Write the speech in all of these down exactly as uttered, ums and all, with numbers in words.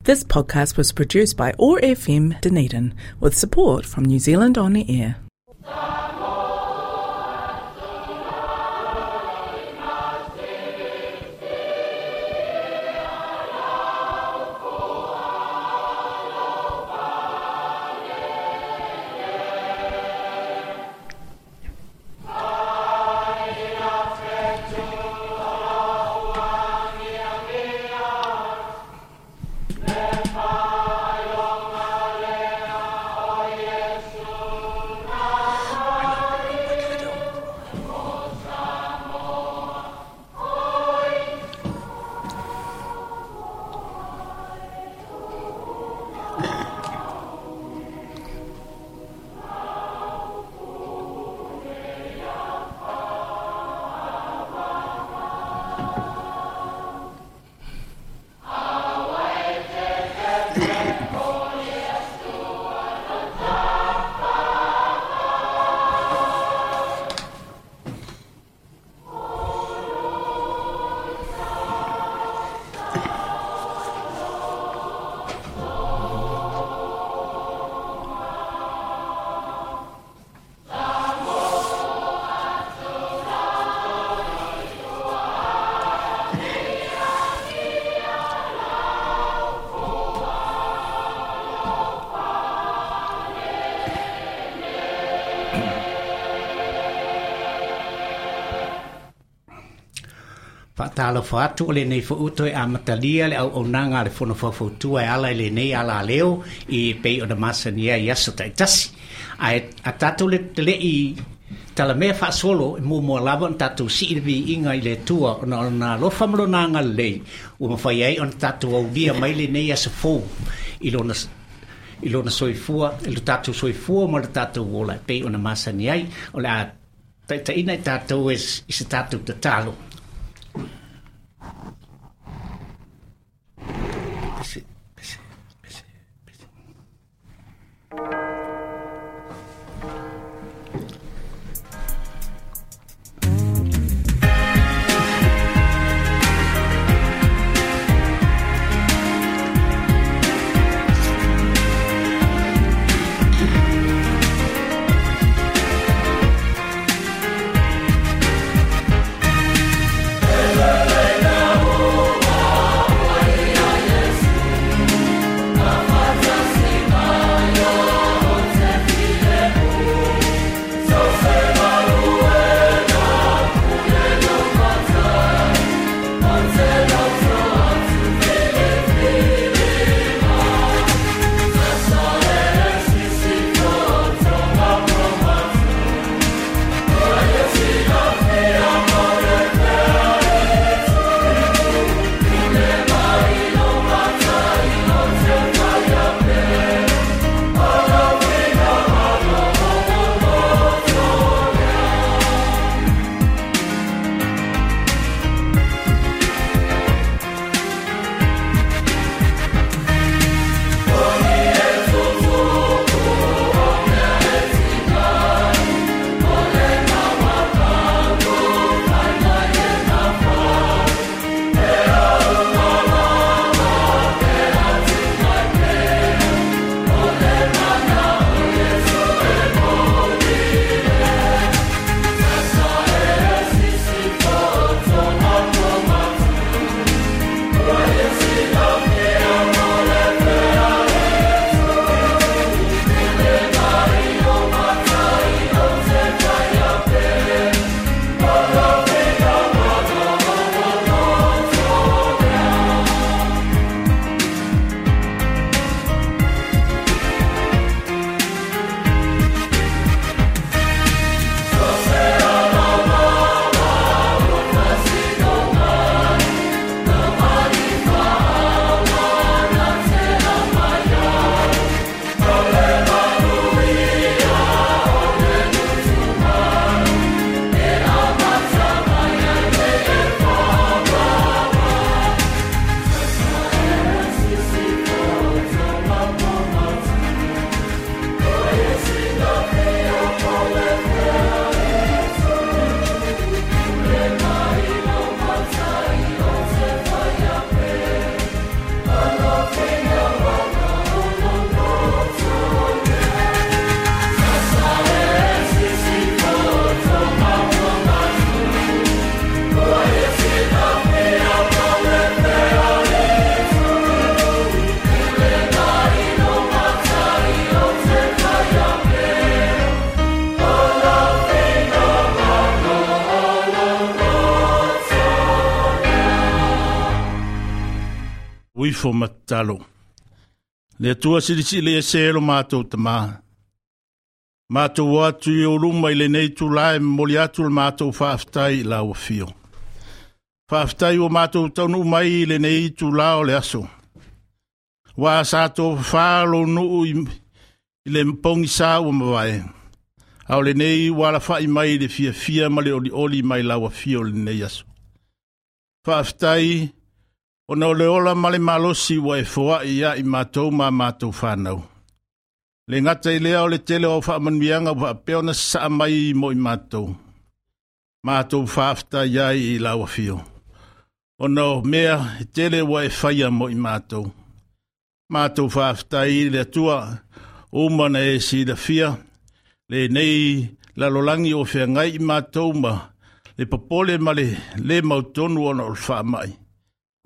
This podcast was produced by O R F M Dunedin with support from New Zealand On Air. Talo fatu le nei fo uto e amatalia le au onanga le fono fautua e ala le nei ala leo i pei o na masania i aso taitasi. Ae a tatou le le i talamea faasolo e muamua lava ona tatou sii le viiga i le Atua ona o lona alofa ma lona agalelei ua mafai ai ona tatou aulia mai lenei aso fou i lona i lona soifua i lo tatou soifua ma lo tatou ola e pei ona masani ai o le a taitaiina i tatou e i se tatou tatalo. Uifo matalo. Le Atua silisili e se lo mātou tamā. Mātou atu i o luma i lenei tūlā e momoli atu le mātou faafetai i lau afio. Faafetai ua mātou taunuu mai i lenei tūlā o le aso. Ua sa tofafā lou nuu i, i le pogisa ua mavae. A o lenei ua alafai mai i le fiafia ma le olioli mai lau afio lenei aso. Faafetai ona o le ola ma le malosi ua e foai ia i mātou ma mātou whanau. Le ngata i lea o le tele o faamanuiaga ua faapea ona sasaa mai mo i mātou. Mātou faafetai ai i lau afio. Ona o mea e tele ua e faia mo i mātou. Mātou faafetai i le Atua uma na e silafia lenei lalolagi o feagai i mātou ma le popole ma le le mautonu ona o le faamai.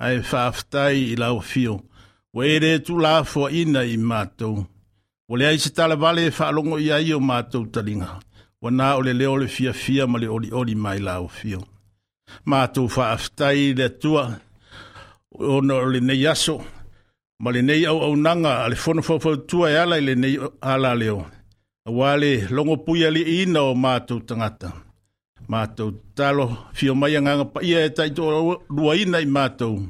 Ae faafetai i lau afio, ua e le tuulafoaina i mātou. Ua leai se talavale e faalogo i ai o mātou taliga, ua na o le leo le fiafia ma le olioli mai lau afio. Mātou faafetai i le Atua ona o lenei aso, ma lenei auaunaga a le fono faufautua e ala i lenei alaleo, aua le logopuialiiina o mātou tagata. Mātou tatalo fio mai agaga paia e taitoaluaina i mātou,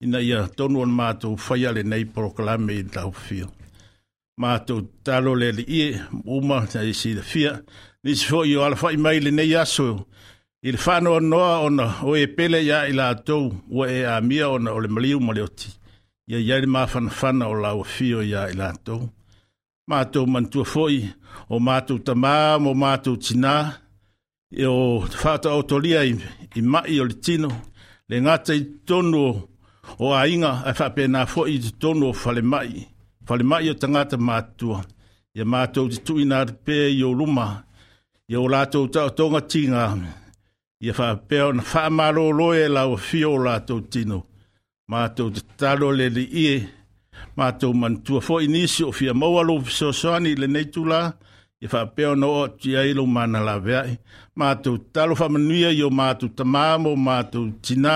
ina ia tonu o mātou faia lenei polokalame i lau afio. Mātou tatalo le Alii e uma na e silafia, nisi foi o alafai mai lenei aso, i le faanoanoa ona o e pele ia i latou ua e amia ona o le maliu ma le oti, ia iai le mafanafana o lau afio ia i latou. Mātou manatua foi o mātou tamā ma o mātou tinā, e o faataotolia i, i mai o le tino, le ngata i totonu o, o aiga, ae faapena foi i totonu o falemai, falemai o tagata matutua. Ia mātou te tuuina atu pea i o luma, ia o latou taotoga tiga, ia faapea ona faamalolo e lau afio o latou tino. Mātou te tatalo le Alii e, mātou manatua foi nisi o fia maua lou fesoasoani i lenei tula, ia faapea ona oo atu i ai lou manalaveai. Mātou tatalo faamanuia i o mātou tamā ma o mātou tinā,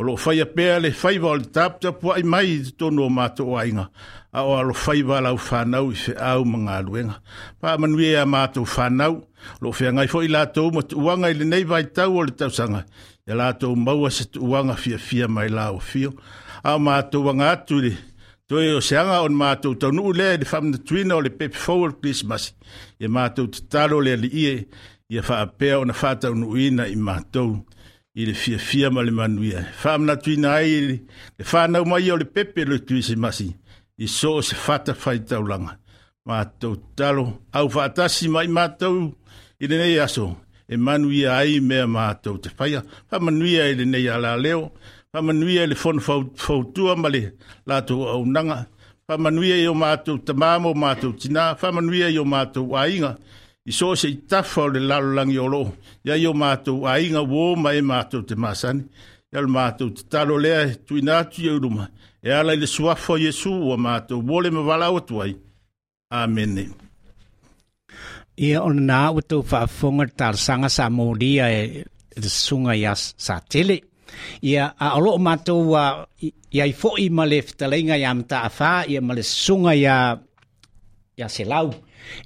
o loo faia pea le faiva o le taputapuai mai i totonu o mātou aiga, a o alofaiva lau whanau i feau ma galuega. Faamanuia ia mātou whanau, o loo feagai foi latou ma tuuaga i lenei vaitau o le tausaga, ia latou maua se tuuaga fiafia mai lau afio. A o mātou aga atu i le toe o se aga o mātou taunuu lea i le faamanatuina o le pepe fou o le Krisimasi, ia mātou tatalo le Alii e, ia faapea ona faataunuuina i mātou i le fiafia ma le manuia. Faamanatuina ai le whanau mai o le pepe o le Krisimasi, i so o se fata whaitaulaga. Mātou tatalo, au faatasi mai mātou i lenei aso, e manuia ai mea mātou te whaia. Faamanuia i lenei alaleo, faamanuia i le fono fautua ma le latou auaunaga, faamanuia i o mātou tamā ma o mātou tinā, faamanuia i o mātou aiga, i so o se itafa o le lalolagi o loo, ia i o mātou aiga uō ma e mātou te masani. Ia le mātou tatalo lea e tuuina atu i ou luma, e ala i le suafa o Iesu ua mātou mole ma valaau atu ai. Amene. Ia ona nā ua tou faafofoga le talosaga sa molia e le susuga ia Satele. Ia a o loo mātou ia i foi ma le fetalaiga ia Mataafa ia ma le susuga ia ia Selau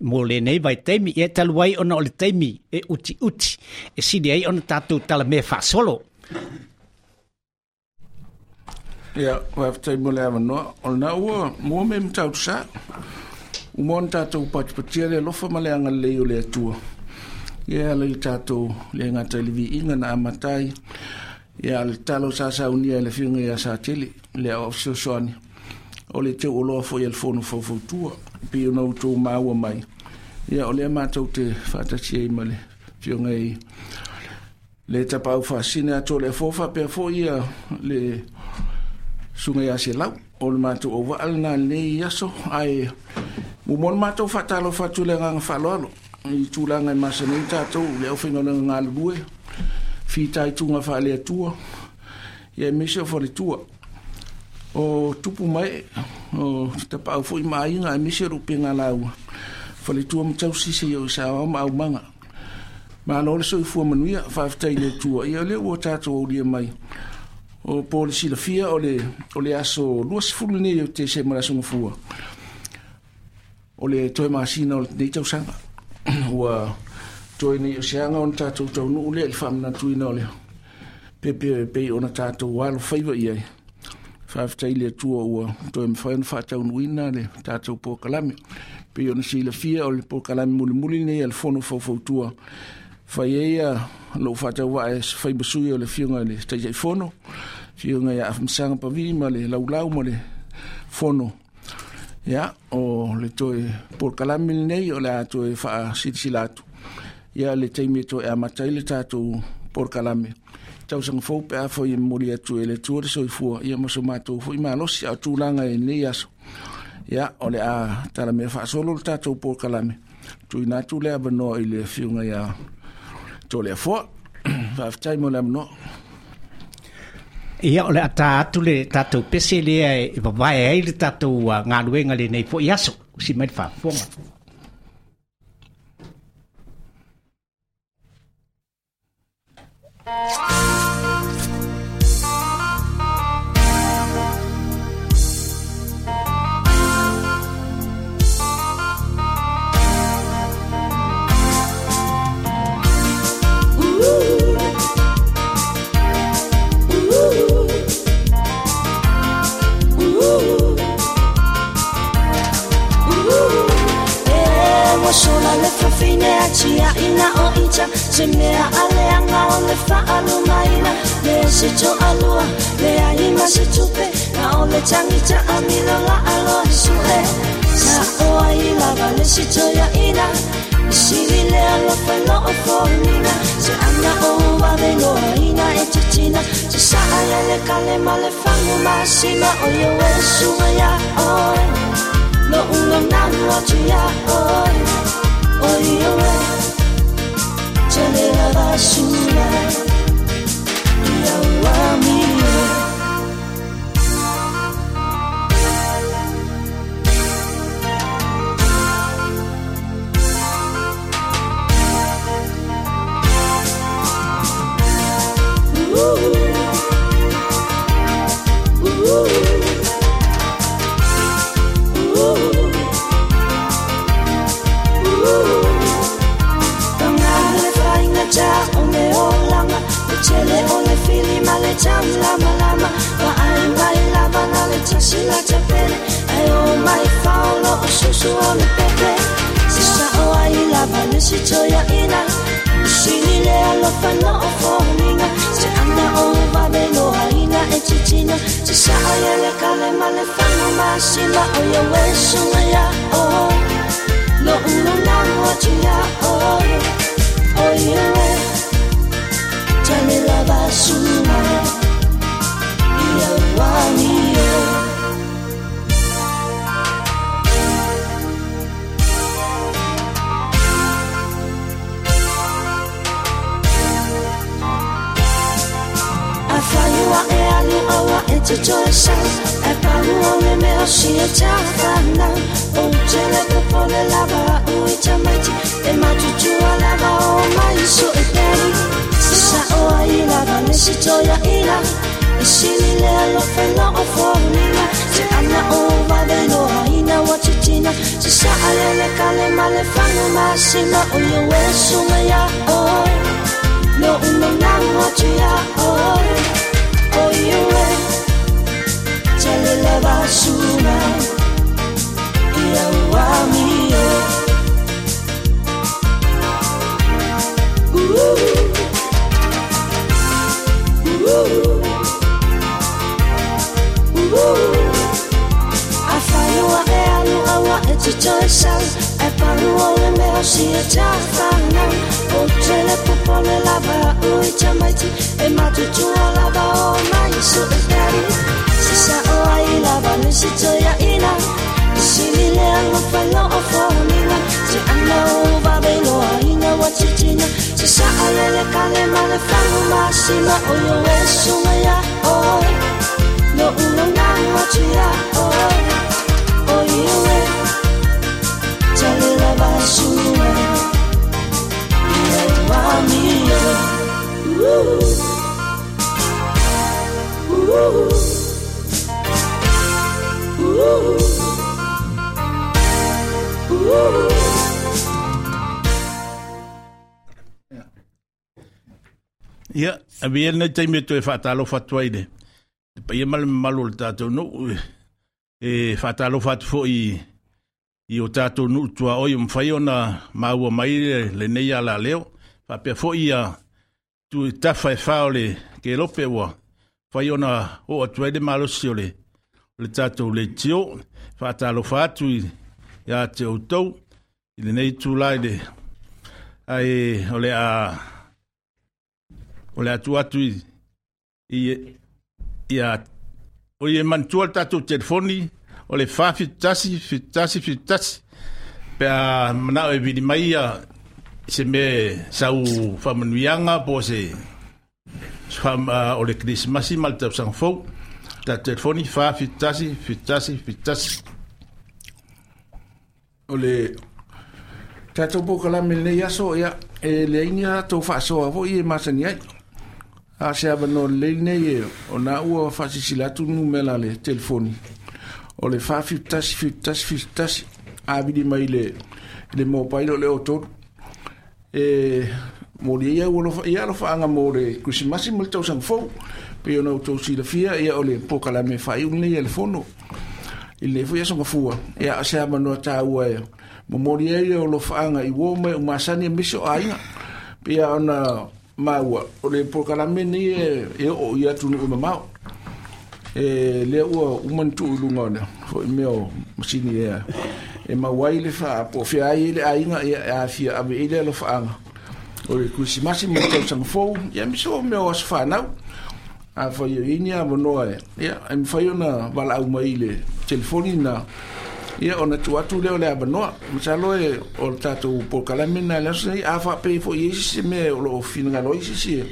mo lenei vaitaimi. Ia talu ai ona o le taimi e utiuti e sili ai ona tatou talamea faasolo. Ia, faafetai mo le avanoa. O lena ua mua me matautu sa. Uma ona tatou patipatia le alofa ma le agalelei o le Atua. Ia ala i le tatou le gata i le viiga na amata ai. Ia le tatalo sa saunia e le afioga ia Satele, le aoao fesoasoani, o le teuoloa foi e le fono faufautua, pei ona outou maua mai. Ia o lea matou te faatasi ai ma le afioga i le tapaau faasina atoa le afoa faapea foi ia le susuga ia Selau. O le matou auvaa lena lenei aso, ae muamua ona matou faatalofa atu i le agaga faaaloalo i tulaga e masani ai tatou le aufaigaluega galulue, fitaituga faaleatua, ia aemaise o faletua. O tupu mai, o tapaau foi ma aiga, aemaise o le upega lauga, faletua ma tausi seia o i saoao ma aumaga. Malo le soifua manuia, faafetai i le Atua, ia o lea ua tatou aulia mai. O po le silafia o le o le aso luasefulu lenei o Tesema le aso gafua o le toe masina o lenei tausaga ua toe nei o seaga ona tatou taunuu lea i le faamanatuina o le pepe pei ona tatou alofaiva i ai. Faafetai i le Atua ua toe mafai ona faataunuuina le tatou polokalame. Pei ona silafia o le polokalame mulimuli lenei a le Fono Faufautua fai ai lou faatauvaa e fai ma sui o le Afioga i le Taitaifono, Afioga ia Afamasaga Pavi ma le laulau ma le Fono. Ia, o le toe polokalame lenei o le a toe faasilasila atu ia le taimi e toe amata ai le tatou polokalame tausaga fou pe afai e momoli atu e le Atua le soifua ia ma so matou foi malosi a o tulaga i lenei aso. Ia, o le a talamea faasolo le tatou polokalame tuuina atu le avanoa i le Afioga ia Toleafoa. Faafetai mo le avanoa. Ia o le ata atu le tatou pese lea e vavae ai le tatou galuega lenei fo'i aso usi mai le faafofoga. Sola le fafine a tia ina o ita se mea ale anga o le faalumaina le se to alua le ai ma se tupe na o le tangita a milo la alo sue sa o ai lava le se to ya ina sili le alo felo o fonina se anga o wa velo ina e titina se sa ale le kale ma le fangu ma sima o yo e suga ya o lo unga nanu o tia o oi oe tele la basura ia ua mio. Ooh, ooh, ooh. O le olanga le tele o le fili ma le lama lama wa ai mai lava na le tasila tapele ai o mai faolo o susu o le pepe se sa o ai lava le sitoia ina sili le alofa no o foninga se anga o vavelo aina e titina se sa ai le kale ma le fanu masima o ia wesunga ya o lo ulo nango tia o o ia tale la basura ia wani. Afaiua e alu aua e te toe sau e pau o le mea si e tāwhanau o tele popole lava au i tamaiti e matutua lava o mai so e peri se sa o ai lava le si toia ina e sili le alofa lo o fōnina se ana o vavelo aina wa titina se sa ale le kale ma le fangu masima o ia wesunga ia oi lo uno nango tia oi o ia we tele la basura ia ua mio. Ooh, ooh, ooh. Afaiua e alu aua e te toe sau e paru o le mea si e tāwhanau o tele popole lava au i tamaiti e matutua lava o mai so e peri se sa o ai lava le si toia ina e sili le alofa lo o fōnina se ana o vavelo aina wa titina se sa ale le kale ma le fangu masima o yo e sunga ia oi lo ulo nango tia oi o ia e tele la basura ia ua mio. Ooh, ooh, Ia, avea lenei taimi e toe faatalofa atu ai le le paia ma le mamalu o le tatou nuu e faatalofa atu foi i o tatou nuu tuaoi o mafai ona maua mai lenei alaleo. Faapea foi ia tu tafa e fa o le kelope ua fai ona oo atu ai le malosi o le o le tatou leitio. Faatalofa atu ia te outou i lenei itula i le ae o le a o le atu atu i ia o ie manatua le tatou telefoni o le fa fitu tasi fitu tasi fitu tasi pe a manao e vili mai ia se mea sau faamanuiaga po o se o le Kerisimasi ma le tausaga fou. Tatou telefoni fa fitu tasi fitu tasi fitu tasi. O le tatou polokalame lenei aso, ia e leai ni tatou faasoa foi e masani ai. A se avanoa lelei lenei ona ua faasilasila atu le numera le telefoni o le fa fitu tasi fitu tasi fitu tasi a vili mai le le mobile o le o tolu e moli ia ua alofa ia alofaaga mo le Kerisimasi ma le tausaga fou pei ona outou silafia ia o le polokalame faaiu lenei a le fono i lenei foi aso gafua. Ia se avanoa taua e momoli ai le alofaaga i uo ma e umasani aemaise o aiga pei ona maua o le polokalame lenei e oo i atunuu mamao e lea ua uma ona tuu i luga o le foi mea o masini e e maua ai le faapoofea ai le aiga ia e afia ave i le alofaaga o le Kerisimasi ma le tausaga fou ia aemaise o mea o aso fanau. Afai o i ai ni avanoa e ia e mafai ona valaau mai i le telefoni na ia ona tuu atu lea o le avanoa. Masalo e o le tatou polokalame lena i le aso nei. A faapea foi i ai se mea o loo finagalo ai se isi e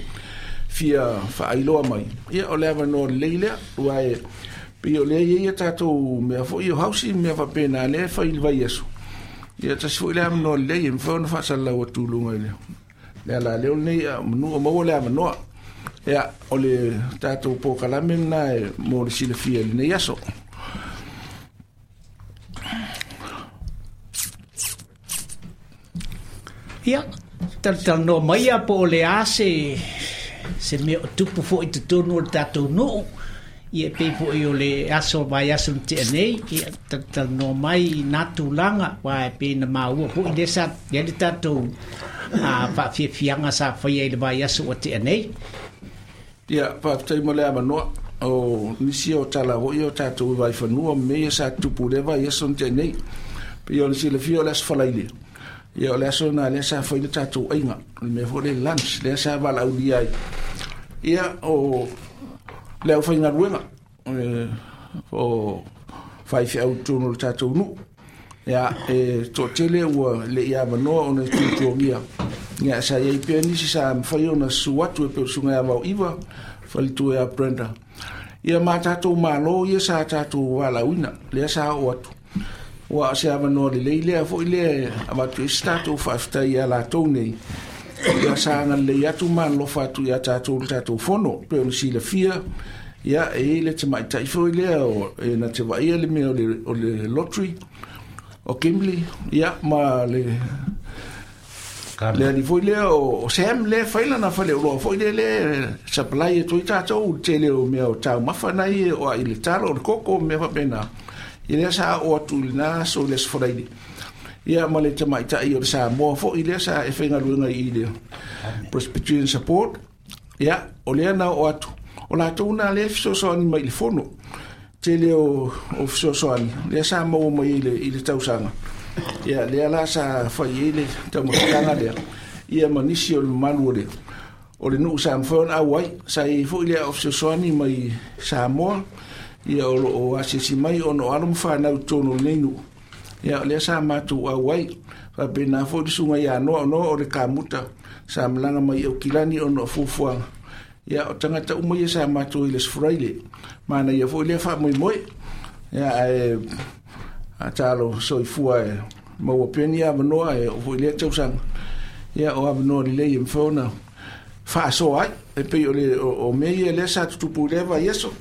fia faailoa mai ia o le avanoa lelei lea aua e pei o lea e i ai ia tatou mea foi o hausi mea faapena lea e fai i le vaiaso. Ia tasi foi le avanoa lelei e mafai ona faasalalau atu i luga i le le alaleo lenei a manu o maua le avanoa. Ia o le tatou polokalame lena e mo le silafia i lenei aso. Ia, talatalanoa mai ia po o le a se se mea o tupu foi i totonu o le tatou nuu. Ia e pei foi o le aso vaiaso na tea nei, ia talatalanoa mai i nā tulaga, aua e pei na maua foi lea sa i ai le tatou a faafiafiaga sa faia i le vaiaso ua tea nei. Ia, faafetai mo le avanoa. O nisi o tala foi o tatou i vaifanua ma mea ia sa tupu i lea vaiaso na tea nei. Pei ona silafia o le aso Faraile. Ia o le aso na lea sa fai le tatou aiga. O le mea foi le lunch, lea sa valaaulia ai. Ia o le aufaigaluega o faifeau i totonu o le tatou nuu. Ia e toatele ua le i avanoa ona e tuatuagia. Ia sa iai pea nisi sa mafai ona susu atu e pei o le susuga ia Vaoiva, faletua ia Brenda. Ia ma tatou malo ia sa tatou valaauina, lea sa oo atu. Ua o se avanoa lelei lea foi lea e avatu ai se tatou faafetai ia latou nei. Ia sa agalelei atu ma alolofa atu ia tatou le tatou fono. Pei ona silafia, ia e i ai le tamaitai foi lea o e na te vaaia le mea o le, o le lottery o Kimberley, ia ma le le alii foi lea o Sam lea e fai lana faleoloa foi lea lea supply atu ai tatou i le tele o mea o taumafa nai o ai le talo o le koko mea faapena. Ia lea sa oo atu i lena aso i le aso Faraile. Ia ma le tamaitai o le Samoa foi lea sa e faigaluega i le Presbyterian Support. Ia o lea na oo atu. O latou na lea e fesoasoani mai i le fono. Tele o, o fesoasoani lea sa maua mai i le, i le tausaga. Ia lea la sa fai ai le taumafataga lea. Ia ma nisi o le mamalu o le o le nuu sa mafai ona auai. Sa i ai foi lea o fesoasoani mai Samoa. Ia o loo asiasi mai ona o alo ma fanau i totonu o lenei nuu. Ia o lea sa matou auai. Faapena foi le susuga ia Noa, o Noa o le kamuta sa malaga mai i Aukilani ona o fuafuaga. Ia o tagata uma ia sa matou i le aso Faraile. Manaia foi lea faamoemoe. Ia ae a talo soifua e maua pea ni avanoa e oo foi i lea tausaga. Ia o avanoa lelei e mafai ona faasoa ai. E pei o le o, o mea ia lea sa tutupu i lea vaiaso.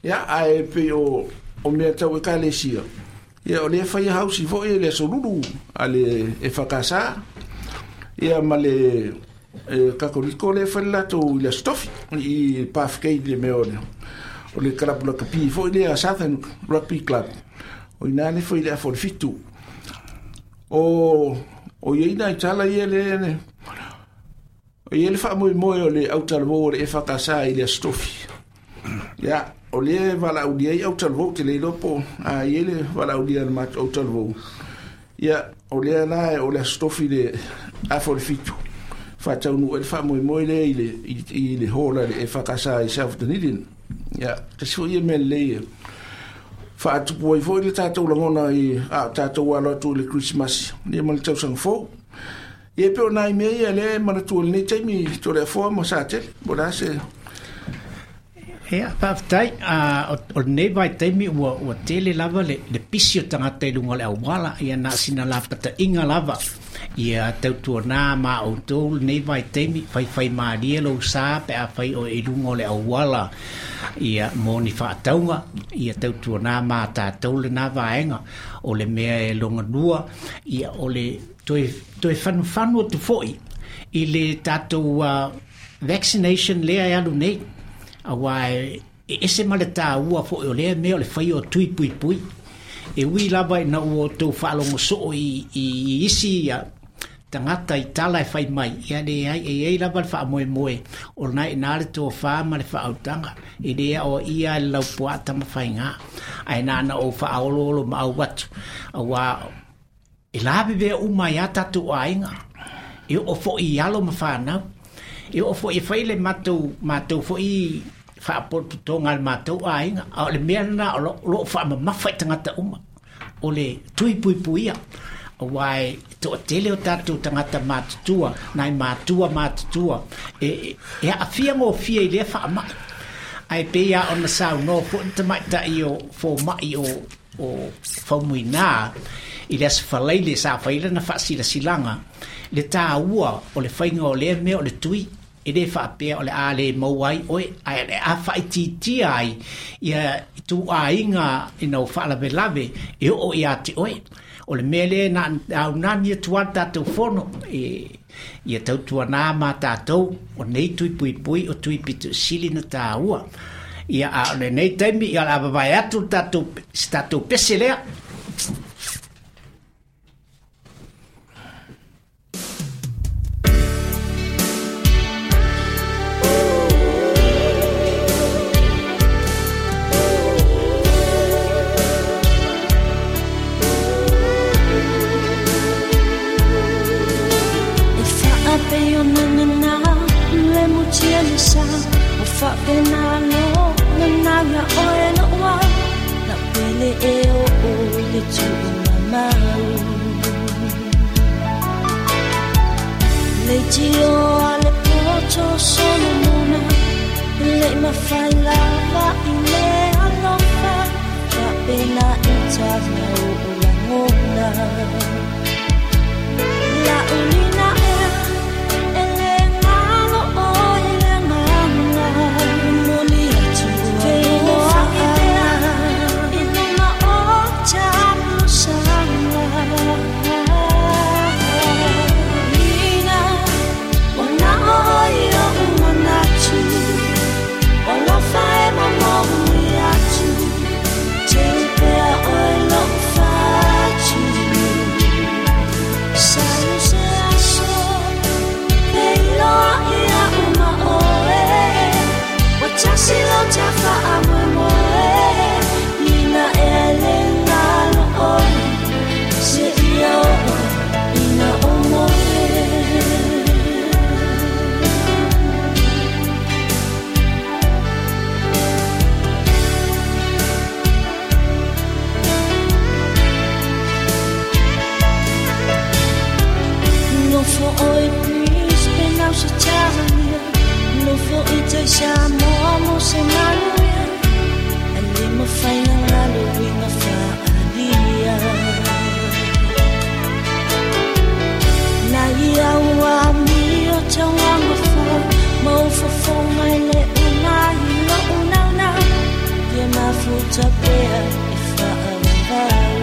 Ia ae pei o o mea tau ekalesia. Ia o lea faia hausi foi e le aso Lulu a le e F K S A. Ia ma le E Katoliko le fai latou i le Aso Tofi i Pathgate le mea o le o le kalapu lakapi foi lea Southern Rugby Club. O ina le fai le afa o le fitu. O o iai nai tala ia le le o iai le faamoemoe o le autalavou o le E F K S i le Aso Tofi. Ia, o le valaaulia ai autalavou te le iloa po a iai le valaaulia a le matou autalavou. Ia, o lea la o le Aso Tofi le afa o le fitu. Faataunuu ai le faamoemoe lea i le i le hola le E F K S i South Dunedin. Ia, tasi foi ia mea lelei e faatupu ai foi le tatou lagona i a tatou alo atu i le Krisimasi ia ma le tausaga fou. Ia e pei o nai mea ia lea e manatua i lenei taimi Toleafoa ma Satele. Po o le a se Ia, faafetai, o lenei vaitaimi ua ua tele lava le le pisi o tagata i luga o le auala, ia na o sina lapataiga lava. Ia tautuanā ma outou lenei vaitaimi, faifaimalie lou sa pe afai oe i luga o le auala ia mo ni faatauga, ia tautuanā ma tatou lenā vaega o le mea e logalua, ia o le toe toe fanufanu atu foi i le tatou uh, vaccination lea e alu nei. Auā e ese ma le tāua foi o lea mea o le faia o tui puipui. E ui lava ina ua outou faalogo soo i, i, i isi ia, tagata i tala e fai mai, ia leai, e iai lava le faamoemoe o lena i ina le tofā ma le faautaga, e lē aoaia ai le laupuaa tamafaigā, ae na ona ou faaoloolo maau atu, auā e lavevea uma ai lava tatou aiga, e oo foi i alo ma fanau, e oo foi e fai le matou matou foi faapotopotoga a le matou aiga, a o le mea lenā o loo faamamafa i tagata uma, o le tui puipuia, auā e toatele o tatou tagata matutua, nai matua matutua, e e aafia gofie i lea faamai. Ae pei lava ona saunoa foi le tamaitai o fomaʻi o o Faumuinā i le aso Falaile sa fai lana faasilasilaga le tāua o le faiga o lea mea o le tui, e lē faapea o le a lē maua ai oe, ae o le a faaitiitia ai ia ituaiga ina ua faalavelave e oo iā te oe. O le mea lea na aunani atu ai le tatou fono e ia tautuanā ma tatou o nei tui puipui o tui pitoisili na tāua. Ia a o lenei taimi ia o le a vavae atu le tatou se tatou pese lea. E faapei ona nana le mutia le sa o faapena lo nana oe loa na pele e o o le tuumamau le tio a le poto Solomona le mafai lava i le alofa faapena i tala o lagona la ulina ea e le ngalo o i le nganga moli atu feloa ea i luma o tamusanga ina wana o i o manatu alofa e mamoni atu te upea oe lo fatu Salu se aso peiloa ia uma oe Watasi lo tafa amoemoe Nina e le ngalo oe Se ia oo ina o moe. No fo oi Brisbane au se Talia No fo i tai Samoa mo se manuia A le mawhai na ngalo winga whaalia Na ia ua mi o tauanga fa Mau fofonga i le una i lo unau nau Ia mafuta pea e whaawawau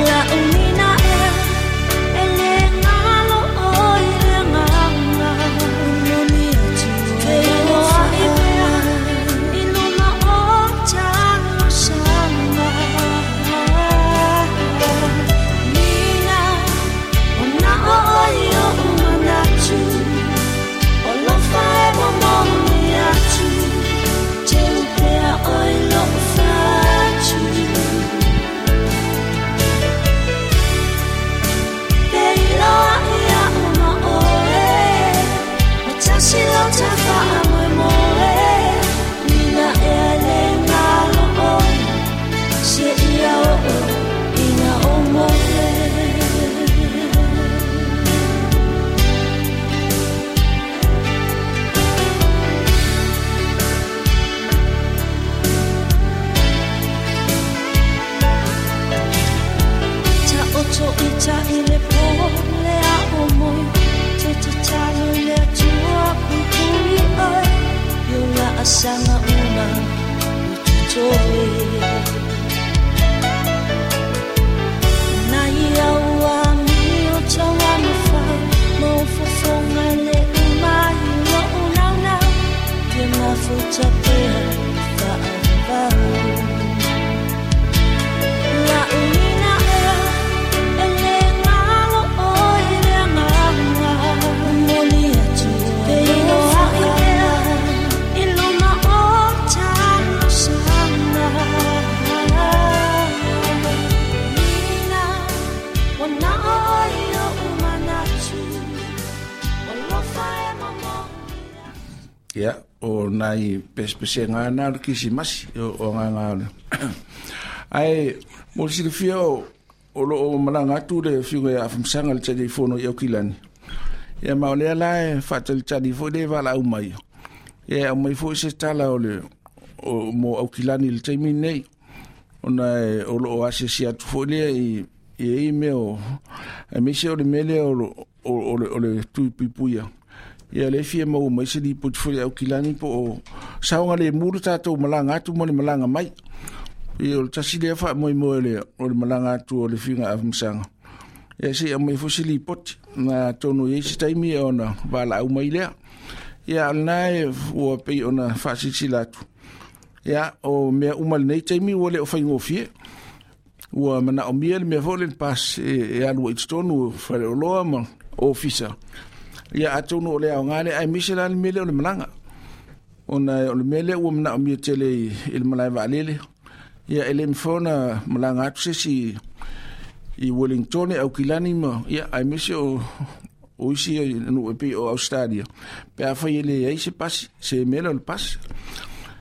La ulina ea e le ngalo o i ta i le po le a o moi te tatalo le atua pupui ai yo la asanga uma ututoe na ia ua mi o taua mawhai maufofonga le umai lo unau nau te mafuta pea whaavau la uina ea e le ngalo oi le nganga moli atu te iloa ea i luna o tano sanga nina wana oi o umanatu alofa e mamoni. Ia, o nai pespesenga na o le kisimasi o, o ngā le. Ai, mo le silafia o, o lo o malaga atu le fiuga ia afamsaga le talifono i Aukilani. Ia ma o lea la e faatalitali foi le valaau mai. Ia au mai foi se tala o le o, mo Aukilani i le taimi nei. Ona e, o lo o asiasi atu foi lea i i e mea o aemaise o le mea lea o, lo- o, o, le, o le tui puipuia. Ia le fia maua mai se lipoti foi Aukilani po o saoga le mu le tatou malaga atu ma le malaga mai. Ia o le tasi lea faamoemoe le o le malaga atu o le fiuga afamasaga. Ia se i mai foi se lipoti na atonu i ai se taimi ona valaau mai lea. Ia o lena e ua pei ona faasilasila atu. Ia o mea uma lenei taimi ua le o faigofie. Ua manaomia le mea foi le pas e, e alu ai totonu o faleoloa ma ofisa. Ia atonu o le aoga lea aemaise la le mea lea o le malaga. Ona o le mea lea ua manaomia tele i, i le malae vaalele. Ia e le mafai ona malaga atu se isi i Wellington, Aukilani ma ia aemaise o o isi nuu e pei o Australia. Pe afai e leai se pasi, se mea lea o le pasi.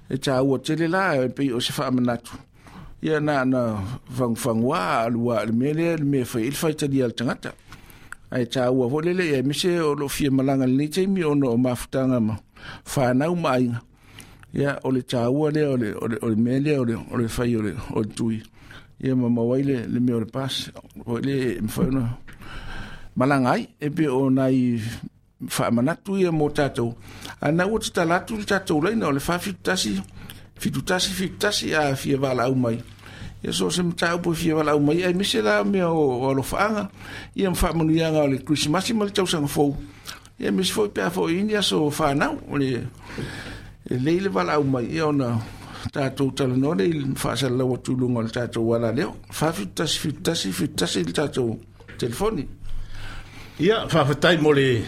E taua tele la e pei o se faamanatu. Ia na na fagufagua alua le mea lea le mea e fai ai le faitalia a le tagata. Ae taua foi lele ia aemaise o loo fia malaga lenei taimi ona o mafutaga ma fanau ma aiga. Ia o le taua lea o le o le o le mea lea o le o le fai o le o le tui. Ia ma maua ai le le mea o le pasi. Foi le e mafai ona malaga ai e pei o nai faamanatu ia mo tatou. A na ua tatala atu le tatou laina o le fa fitu tasi fitu tasi fitu tasi a fia valaau mai. Ia so se mataupu e fia valaau mai aemaise la mea o, o alofaaga ia ma faamanuiaga o le Krisimasi ma le tausaga fou. Ia aemaise foi pe a foi ini aso fanau o le e lei le valaau mai ia ona tatou talanoa lea i le faasalalau atu i luga o le tatou alaleo. Fa fitu tasi fitu tasi fitu tasi le tatou telefoni. Ia, faafetai mo le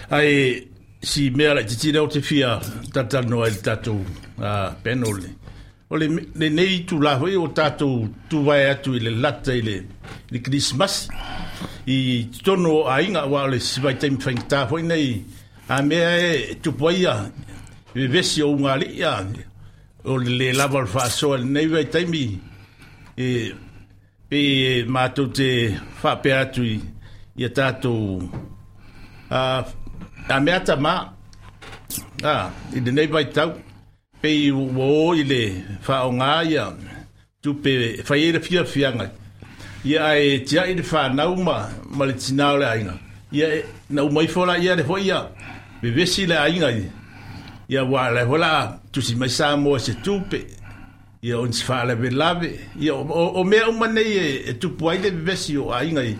ai si mea laitiiti lea o te fia talatalanoa ai le tatou uh, panel le. O le lenei tulaga foi o tatou tuvae atu i le lata i le, i le Krisimasi i totonu o aiga aua o le isi vaitaimi faigata foi nei a mea e tupu ai ia vevesi o ugalii a o le le lava o le faasoa i lenei vaitaimi e pei e matou te faapea atu i ia tatou a, a mea tamā a, i lenei vaitau pei ua o i le faaaoga ia tupe e fai ai le fiafiaga ia ae tiai le fanau ma, ma le tinā o le aiga ia e, na uma ifo la ia le foi ia vevesi le aiga i ia ua le foi la tusi mai Samoa se tupe ia o nisi faalavelave ia o, o, o mea uma nei e, e tupu ai le vevesi o aiga i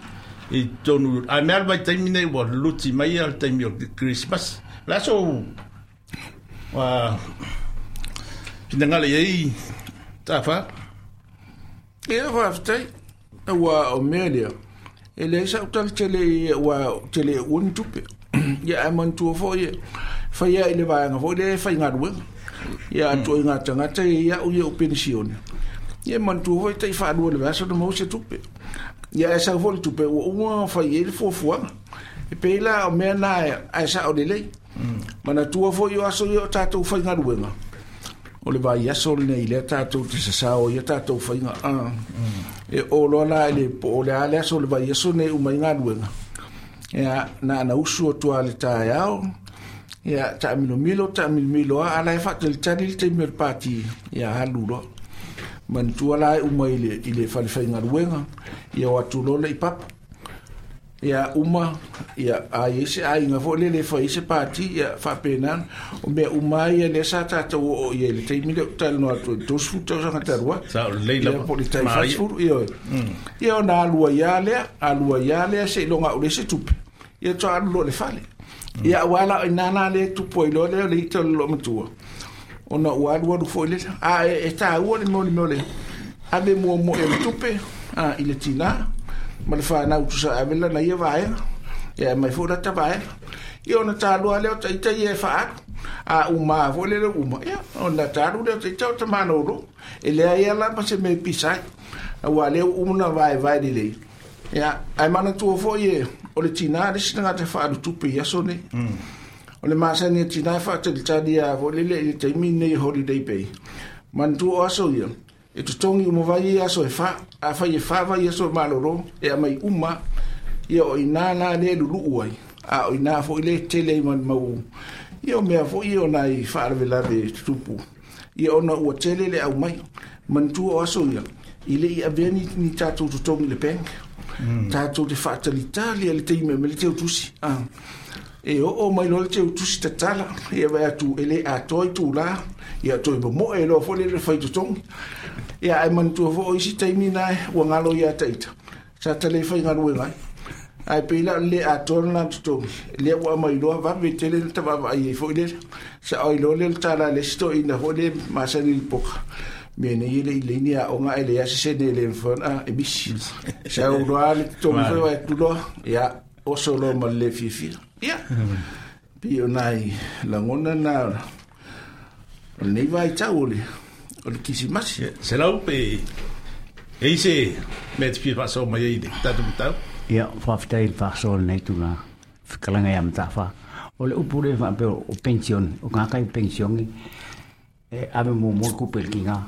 i totonu a mea le vaitaimi nei ua luti mai ia le taimi o Christmas la so uh, finagalo i ai tafa. Ia faafetai. Ua o mea lea. E leai sa'u tala tele i ua tele ua ni tupe. Ia ae manatua foi e faia i le vaega foi lea e faigaluega. Ia atu ai ngā tagata e ia'u ia o penisione. Ia manatua foi tai faalua i le vaiaso ona maua se tupe. Ia ae sau foi le tupe ua uma ona fai ai le fuafuaga. E pei la o mea na ae sa'o lelei. Manatua foi o aso ia o tatou faigaluega. O le vaiaso lenei lea tatou te sasao ia tatou faiga. Ah. E o loa la i le po o le a le aso o le vaiaso nei uma i galuega. Ia na na usu atu a le taeao. Ia taamilomilo taamilomilo a ala e faatalitali le taimi o le pati ia alu loa. Manatua la e uma i le, i le falefaigaluega, ia o atu loa le i papa. Ia uma, ia a i se aiga foi lele e fai se pati, ia faapena. O mea uma ai ia lea sa tatou oo i ai i le taimi lea ou talanoa atu ai, le tolusefulu tausaga talu ai. Sa o lelei Ia lava. po o le tai Maria. fasefulu, ioe. Ia ona alu ai lava lea, alu ai lava lea seiloga au le se tupe. Ia toa alu loa i le fale. Ia auā la o i ina la lea e tupu ai loa lea o le ita o le loomatua. Ona ua alualu foi lea. A e, e tāua le mea o le mea o le ave muamua i le tupe a, i le tinā ma le fanau tusa ave lana ia vaega. Ia mai foi lata vaega. Ia ona tālua lea o taita ia e faaalu. A uma foi lele uma. Ia ona tālu lea o taita o tamanolo. E leai ia la ma se mea e pisa ai. Auā lea ua uma ona vaevae lelei. Ia, ae manatua foi e o le tinā le isi tagata e faaalu tupe i aso nei. O le masani e tinā e faatalitali a foi lele i le taimi nei holiday pay. Manatua o aso ia, e totogi uma vai ia aso e fa, a fai e fa vai aso e malolo, e aumai uma, ia o ina la lea e luluu ai. A o ina foi le tele ai ma le mau, ia o mea foi ia o nai faalavelave e tutupu. Ia ona ua tele le aumai. Manatua o aso ia, i le i avea ni, ni tatou totogi i le bank. Tatou te faatalitali a le taimi e aumai le teutusi. Ah. E oo mai loa le teutusi tatala, ia vaai atu e le atoa itulā, ia toe momoe loa foi lele fai totogi. Ia ae manatua foi o isi taimi na ua galo ia taita. Sa tale faigaluega ai. Ae pei la o le le atoa lena totogi. Lea ua aumai loa vave tele le tavaavaai ai foi lele. Sa oi loa lea le tala a le isi toeaina foi le masani i le poka. Mea nei e le i leai ni aoga ae leai se sene e le mafai ona e misi. Sa ou loa le totogi foi vaai atu loa, ia oso loa ma le le fiafia. Ia, pei o nai lagona na o lenei vaitau o le, o le Kirisimasi. Selau pe e i se mea te fia faasoa mai ai i le tatou mataupu. Ia, faafetai i le faasoa o lenei tulaga. Fekalanga ia Mataafa. O le upu lea faapea o pension, o ngā kai pensione, e ave muamua le kupe i le kiga.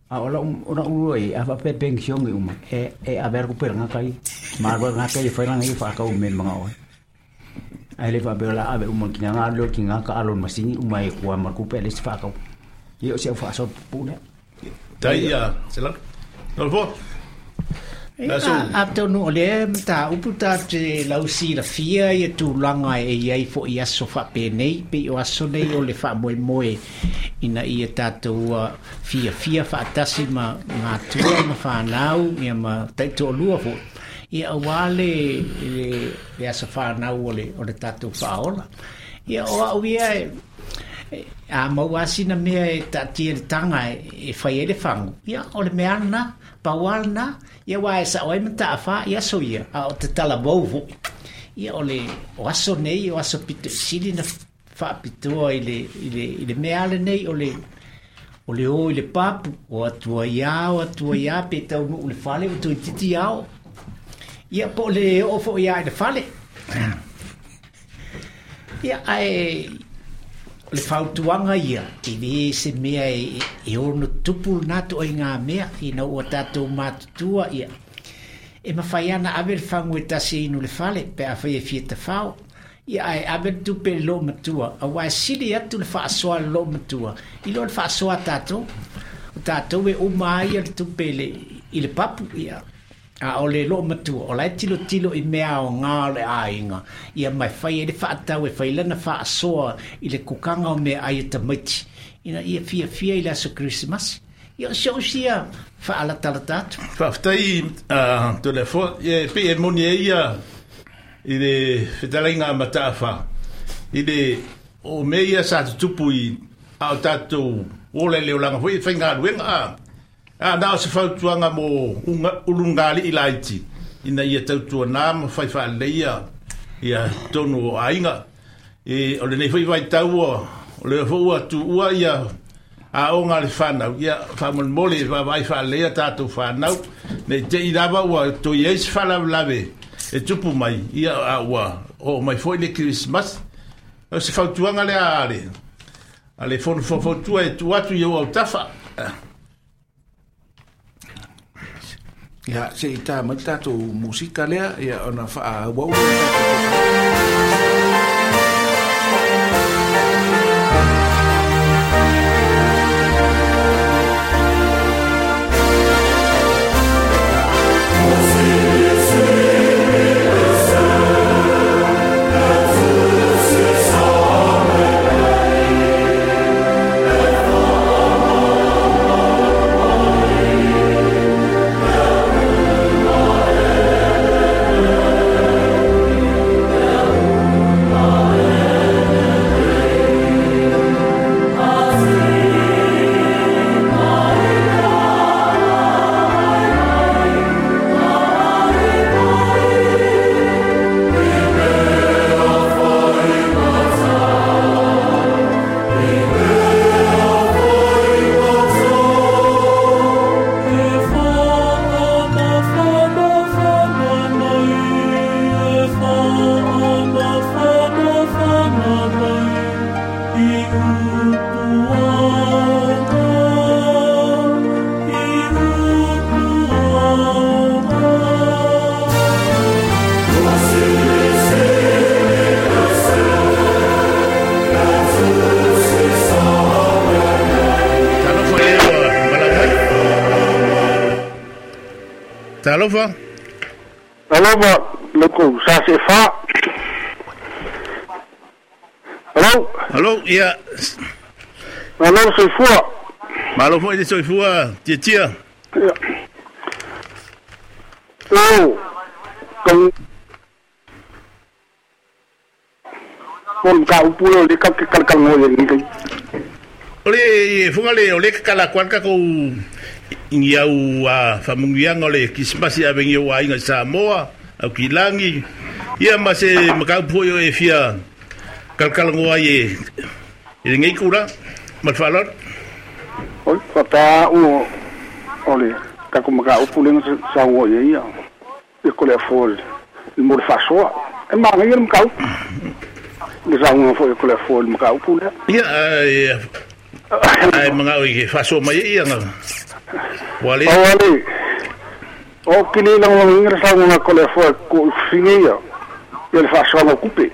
A o lau o lau lua i, a faapea pensione uma, e, e ave a le kupe i le ngā kai. Malo ngā kai e whai langa i whaakau me mga oe. Ai le faapea la ave uma le kiga, ngā leo kiga ka alo le masini, uma e kua ma le kupe le se whaakau. Ia o se au whaasoa pupu lea. Tai ia, Selau. Nolo fo. Ia, atonu o lea mataupu ta te lausilafia ia tulaga e i ai foʻi aso faapenei pei o aso nei o le faamoemoe ina ia tatou fiafia faatasi ma gatua ma fanau ia ma taitoalua foʻi ia auā le le le aso fanau o le o le tatou faaola. Ia o a'u ia e a maua sina mea e taatia le taga e fai ai le fagu ia o le mea lena pau a lena ia uā e saʻo ai ma taʻafā i aso ia a o tatalavou foʻi ia o le o aso nei o aso pitoʻisili na faapitoa i le i le i le mea lenei o le o le o i le papu o atua iā o atua iā pe taunuu le fale o toeititi ao ia po o le oo foʻi iā i le fale ia ae o le fautuaga ia e lē se mea e, e ono tupu lenā toʻaigā mea ina ua tatou matutua ia e mafai ana ave le fagu e tasi e inu le fale pe afai e fia tafao ia ae ave le tupe i le loomatua auā e sili atu le faasoa le loomatua i lo le faasoa tatou o tatou e uma ai ia le tupe i le, i le papu ia a o le loomatua o la e tilotilo i mea aogā o le aiga ia ma e fai ai le faatau e fai lana faasoa i le kukaga o meaai e tamaiti ina ia fiafia i le aso Kerisimasi ia o si o'u sia faalatalata atu. Faafetai uh, Toleafoa. Ia pei e moni ai ia i le fetalaiga a Mataafa i le o mea ia sa tutupu i a o tatou ola i le olaga foi e faigaluega a a na o se fautuaga mo unga, ulugaliʻi laiti ina ia tautuanā ma fai faalelei ia ia tonu o aiga. E o lenei foi vaitau o lea foi ua tuua ia aoga a le fanau ia faamolemole e vaavaai faalelei a tatou fanau nei teʻi lava ua toe ai se faalavelave e tupu mai ia a ua oo mai foi le Kerisimasi. O se fautuaga lea a le a le fono faufautua e tuu atu i ou autafa. Ia, se i tā mai tatou musika lea, ia ona faaauau lea le tatou Talofa. Talofa loko sa se fa. Hello. Hello, ia. Malo soifua. Malo foi le soifua, tia tia. Ia. Oh. Kong Kon ka upu le ka ke kal kal ngo ye ni. Ole funga le ole kala kwa ka ko ia u a famungianga le Krismasi a vengi o aiga Samoa au kilangi ia ma se makau po e fia kalkal ngoa ye e ngai kura malfalor oi fata u ole ka ko maka upu le sa ngo ye ia e ko le fol le mo fasoa e ma ngai le makau le sa ngo fo e ko le fol maka upu le ia ai ai mga o ke faso mai ia nga wale wale o kili lang lang ngira sa ngo ko le fo ko fini ia e le faso mo kupe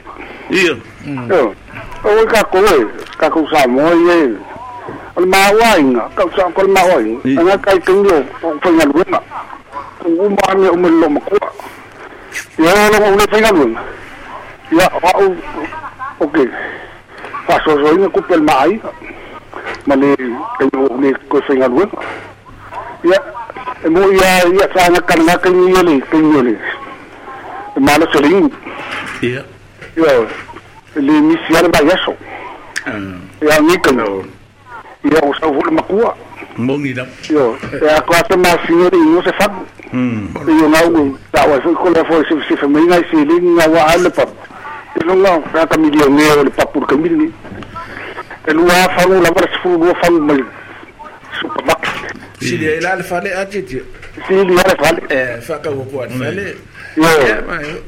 ia o ka ko e ka ko sa mo ye o ma wa inga ka sa ko ma wa inga nga kai tingo o fa nga luna o ma me o me lo mo ko ya lo mo le fa nga luna ya o okay faso so inga kupe el mai ma le tengo le ko fa nga luna ya e mo ya ya sa nga kan nga kan ni le kan ni le ma lo seling ya ya le misial ba yaso ya ni kan ya o sa vo makua mongi la yo ya ko ata ma sinori no se fa mm yo na u ta wa ko la fo se se fa mai se le nga wa ale pa e lo nga ka millionaire le pa pour ka mil e lo fa lo la va se fu lo fa mal supermarket si le la le fale a titi si le la fale eh fa ka wo ko fale yo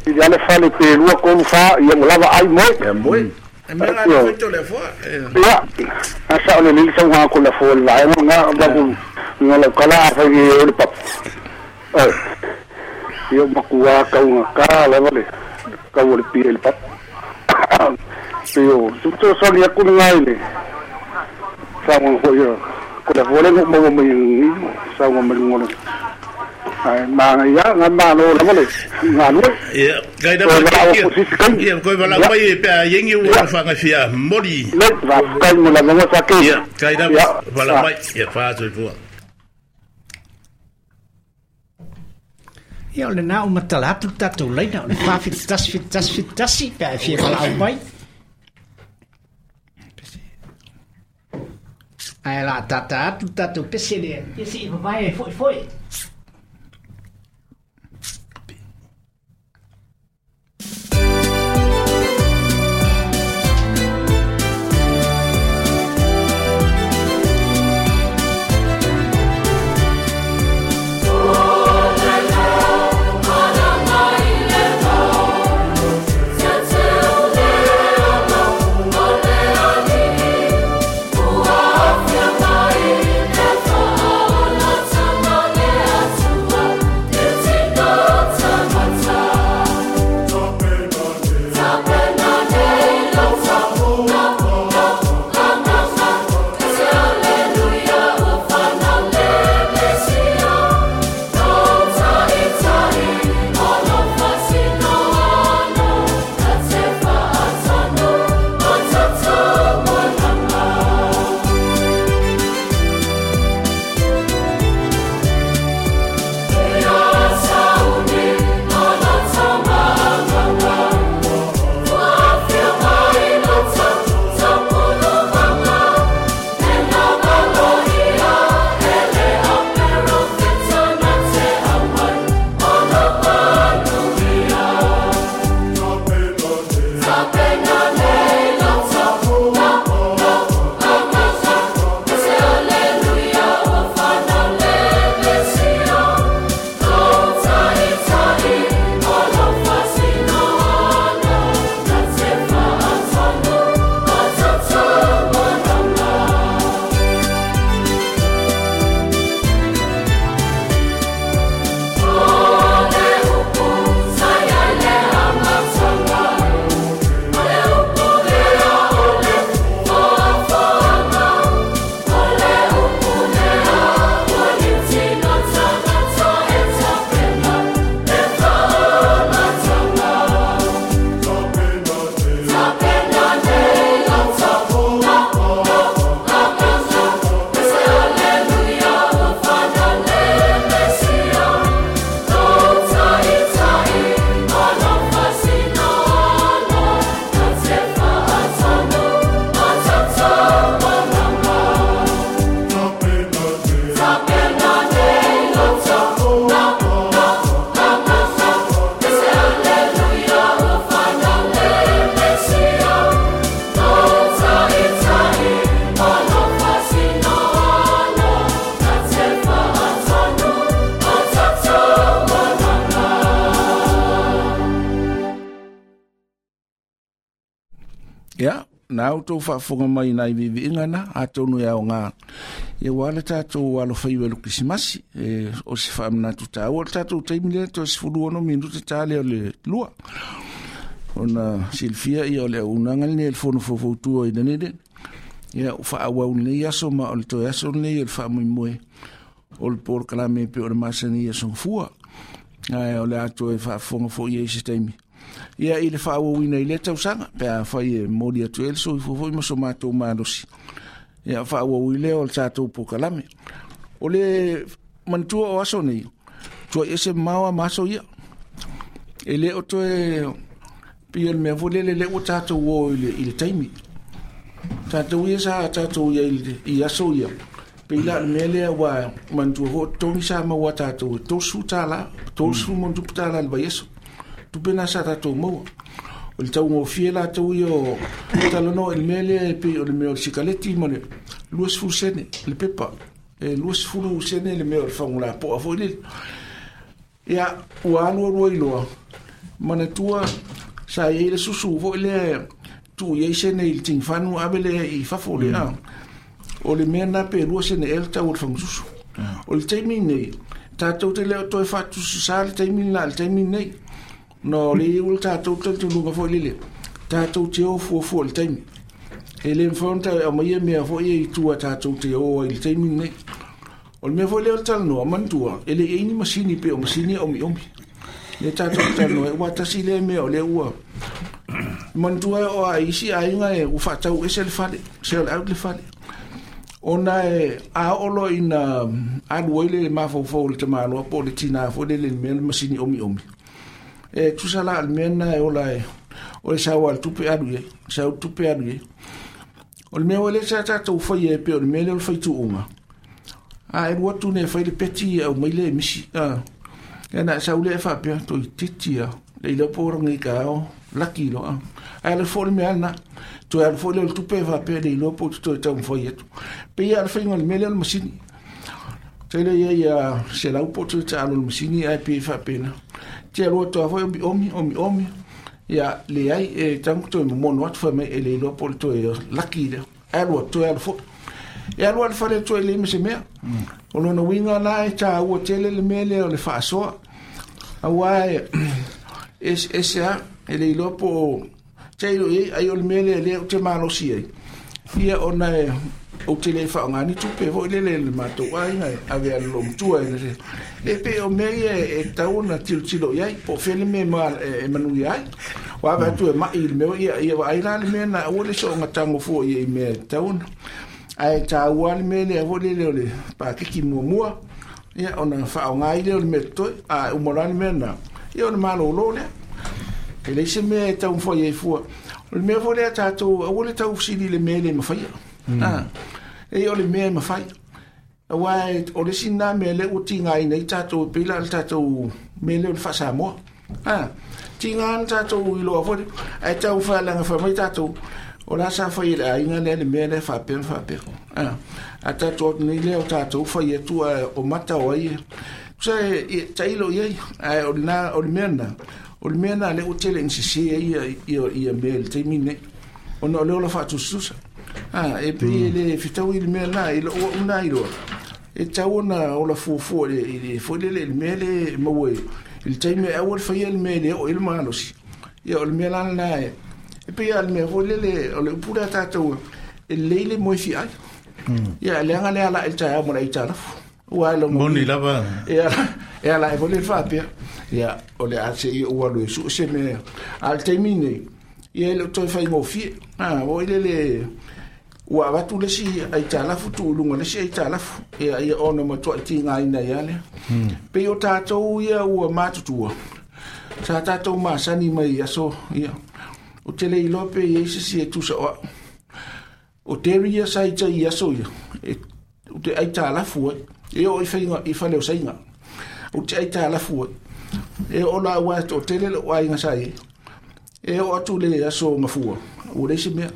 si le fale pe lo ko fa ya mo lava ai mo ya mo e me la le to le fo ya asa ole le sa nga ko la fo la mo nga ba ko nga la kala fa ye le pap eh yo makua ka nga ka la vale ka wo le pi le pap yo tu so ni ku nga ile sa mo ho yo ko la vole mo mo mo ni sa mo mo mo ai ma ya nga ma lo la vale nga lo ya kai da ya ko ba la mai pe yengi wo fa nga fia mori le va kai mo la mo sa ke ya kai da ba la mai ya fa so fo ia o le nā o matala atu tātou leina o le whawhiti tasi fiti tasi fiti tasi pe a fia wala au mai. Ai la tata atu tātou pese lea ia si i papai e foi foi. Yeah. Ia, na outou faafofoga mai nai viiviiga na atonu e aogā ia ua le tatou alofaiva i le Kerisimasi e o se faamanatu taua o le tatou taimi lea toe sefulu ono minute ta lea o le lua ona silafia ia o le auaunaga lenei a le Fono Faufautua i Dunedin ia ua faaauau lenei aso ma o le toe aso lenei o le faamoemoe o le polokalame pei o le masani i aso gafua ae o le a toe faafofoga foi ai se taimi ia i le faaauauina i lea tausaga pe afai e momoli atu ai le soifua foi ma so matou malosi ia faaauau i lea o le tatou polokalame. O le manatua o aso nei tuai ese mamao a ma aso ia e le o toe pei o le mea foi lele lea ua tatou o i le, i le taimi tatou ia sa tatou ia i, i aso ia pei la o le mea lea ua manatua foi o totogi sa maua tatou e tolusefulu tālā tolusefulu ma ona tupu tālā i le vaiaso tupe na sa tatou maua o le taugofie latou ia o talanoa i le mea lea e pei o le mea o le sikaleti ma le luasefulu sene le pepa e luasefulu sene le mea o le fagulapoa foi lele ia ua alu alu ai loa manatua sa iai le susu foi lea tuu iai sene i le tigifanu ave lea i fafo lea mm. o le mea na pe lua sene ea le tau o le fagasusu o le taimi nei tatou te le o toe faatususā le taimi lena i le taimi nei no le iu le tatou talitonuga foi lele tatou te o fuafua i le taimi e le mafai ona tae aumaia mea foi ia i tua tatou te o ai i le taimi lenei o le mea foi lea o le talanoa manatua e le i ai ni masini pei o masini e omiomi lea tatou te talanoa ai ua tasi lea mea o lea ua manatua e oo a isi aiga e ua faatau ese le fale sell out le fale ona e a oo loa ina alu ai le mafaufau o le tamaloa po o le tinā foi lele i le mea le masini omiomi e tusa la o le mea lena e ola e o le sau a le tupe alu i ai sau le tupe alu i ai o le mea ua lea sa tatou faia e pei o le mea lea o le faituuga a e alu atu nei e fai le peti e aumai lea e misi a ia na e sau lea e faapea toeitiiti a le iloa po o lagi taeao laki loa ae alu foi le mea lena toe alu foi lea o le tupe e faapea le iloa po o te toe taumafai atu pei lava o le faiga o le mea lea o le masini tele ia ia selau po o toe taalo o le masini ae pei e faapena te alu atu lava foi omiomi omiomi ia leai e tago toe momono atu fai mai e le iloa po o le toe laki lea ae alu atu toe alu foi e alu lava i le fale toe leai ma se mea o lona uiga la e taua tele le mea lea o le faasoa auā e eseese lava e le iloa po o tailo i ai ai o le mea lea lea ou te malosi ai ia ona e ou te le faaaoga ni tupe foi lele i le matou aiga e ave a le loomatua e le le pei o mea ia e tatau ona tilotilo i ai po o fea le mea e manuia ai ua ave atu e mai i le mea ia ia vaai la le mea na aua le soonga tago fua ia i mea e tatau ona ae taua le mea lea foi lele o le pakeki muamua ia ona faaaoga ai lea o le mea totoe a uma loa le mea lena ia ona malōlō lea e leai se mea e taumafai ai fua o le mea foi lea tatou aua le taufesili i le mea e le mafaia mm. e o le mea e mafai auā o le isi lena mea lea ua tigaina ai tatou e pei la o le tatou mea lea o le faasamoa a tiga na tatou iloa foi ae tau faaleaga fai mai tatou o la sa fai e le aiga lea le mea lea faapea ma faapea a a tatou atu nei lea o tatou fai atu ae o mata o ai tusa e tailo i ai ae o lena o le mea lena o le mea lena lea ua tele ina sese ai ia ia ia mea i le taimi lenei ona o le ola faatusatusa a e pei e le fetaui le mea lena i lou au lena iloa e tatau ona ola fuafua i le foi lele i le mea lea e maua i le taimi e aua le faia le mea e le oo i ai le malosi ia o le mea la lena e e pei lava o le mea foi lele o le upu lea tatou e lelei le moe fiai ia leaga le alai i le taeao ma le aitalafu ua e lona Moni lava. E ala e ala e foi le faapea ia o le a seia ou alu e sue se mea a o le taimi lenei ia e le o toe faigofie a oi lele ua avatu le isi aitalafu tuu i luga o le isi aitalafu ia ia ona matuai tigaina ai lava lea pei o tatou ia ua matutua sa tatou masani mai i aso ia ou te le iloa pe i ai se isi e tusa o au o Terry ia sa i tai i aso ia e ou te aitalafu ai e oo i faiga i fale o saiga ou te aitalafu ai e oo la aua e toatele lou aiga sa i ai e oo atu i le aso gafua ua leai se mea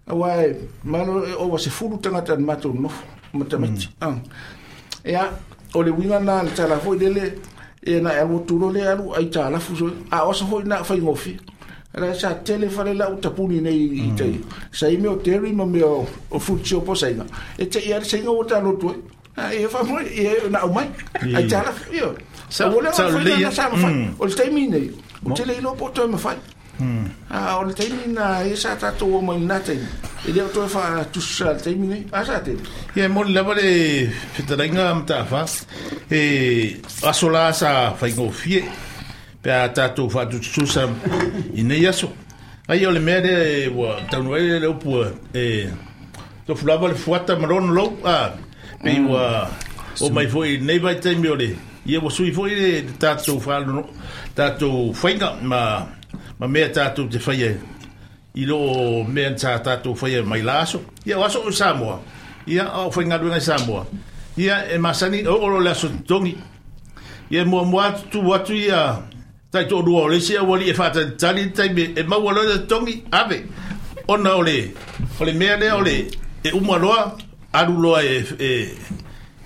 auā e malo e ova sefulu tagata na matou nonofo ma tamaiti mm. Ia o le uiga lena o le tala foi lele e na e alu atu loa lea alu aitalafu soia a o aso foi na faigofie Ala sa tele fale la utapuni nei i tai. Sa i meo teri ma meo o futio po sainga. E te ia sainga o ta lotu. A e fa mo e na o mai. Ai tala io. Sa sa le sa ma fai. O le taimi nei. O tele ilo po toi ma fai. A o le taimi na e sa tatou o mai na taimi. E le o toi fa tusa le taimi nei. A sa tele. Ia mo le lava le fetalainga matafa. E aso la sa faigofie. Pe a tātou whaatutusa i nei aso. Ai o le mea lea ua taunu ai le upu e tofu lava le fuata ma lona lou. A, pe ua o mai foi nei vai taimi o le ia ua sui foi le tātou whaalono, tātou whainga ma, ma mea tātou te whaia i loo mea tā tātou whaia mai la aso. Ia o aso o Samoa. Ia o whaingaluenga i Samoa. Ia e masani o olo le aso tongi. Ia mua mua atu atu ia tai tō rua o le sia wali e whātalitali taimi e maua loa le tongi ave. Ona o le, o le mea lea o le e uma loa, alu loa e, e,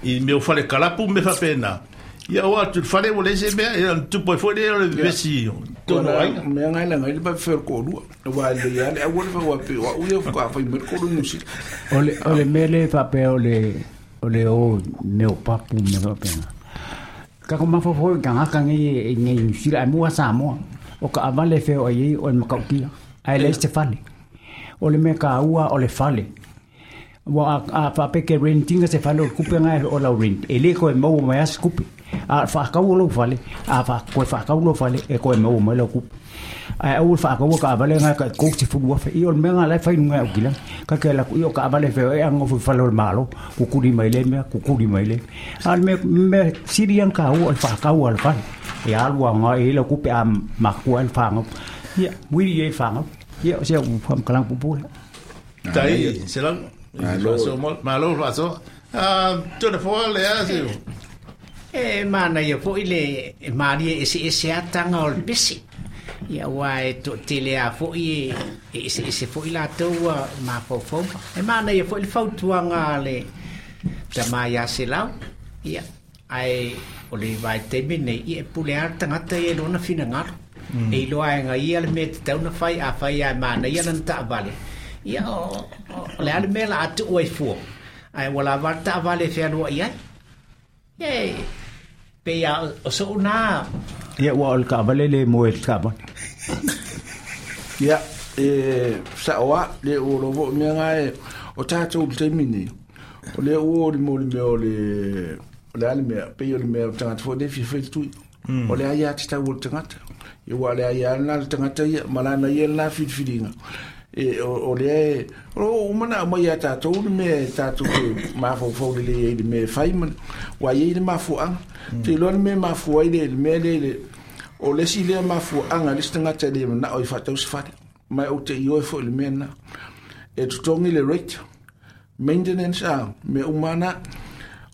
i meo whale kalapu me whapena. Ia o atu whale o le se mea, e tupo e fwele o le vesi tono aina. Mea ngai la ngai le pa whiro ko rua. Wa le ia le awa le wha pe wa uia whaka whai mea koro nusi. O le, o le mea le whapea o le, o le o meo papu me whapena. Ka ko mafofo ka ngaka ngai ngai New Zealand ai mua Samoa o ka avale feo ai o le makaukia ai le se fale o le me ka ua o le fale wa a fa pe ke rentinga se fale o kupe ngai o la rent e le ko e mau mai as kupe a fa ka o lo fale a fa ko fa ka o lo fale e ko e mau mai lo kupe ai au fa ka o ka avale ngai ka ko se fu wa fe i o me ngai fa ngai o kila ka ke la i o ka avale fe e ango fu fale o malo ku kuri mai le me ku kuri mai le al me me sirian ka o fa ka o al fale e alu ngai e lo kupe a ma ku al fa ngo ia wi e fa ngo ia o se u fam kalang pu pu tai se la malo malo faso ah tu le fo le a se e mana ia foi le e maria e se se atanga o le pesi ia ua e to tele a foi e se se foi la tua ma fofo e mana ia foi le fautuanga le tamaia se lau ia ai o le vai temi nei ia pule a tangata e lona finangalo e iloa e ngai ia le me te tauna fai a fai a mana ia lana taavale ia o le ale mea la atu ua i fua ai ua lava le taavale e fealua i ai ia pe ia o sou nā ia ua o le kaavale le moe le kaavale ia e sa oa le o lovo mea ngai o tātou le taimi nei o le ua o le mo le mea o le o le ale mea pe o le mea o tangata fo le fia fai le tui o le aia te tau o le tangata ia ua le aia na le tangata ia ma lana ia la filifiliga e o le o mana mai a tātou le mea tātou te mafaufau lelei ai le mea e fai ma ua iai le mafuaga te iloa le mea mafua ai le mea le le o le isi lea mafuaga le isi tagata e le manao i faatau se fale mai ou te ioe foi le mea lena e totogi le rate maintenance a mea uma na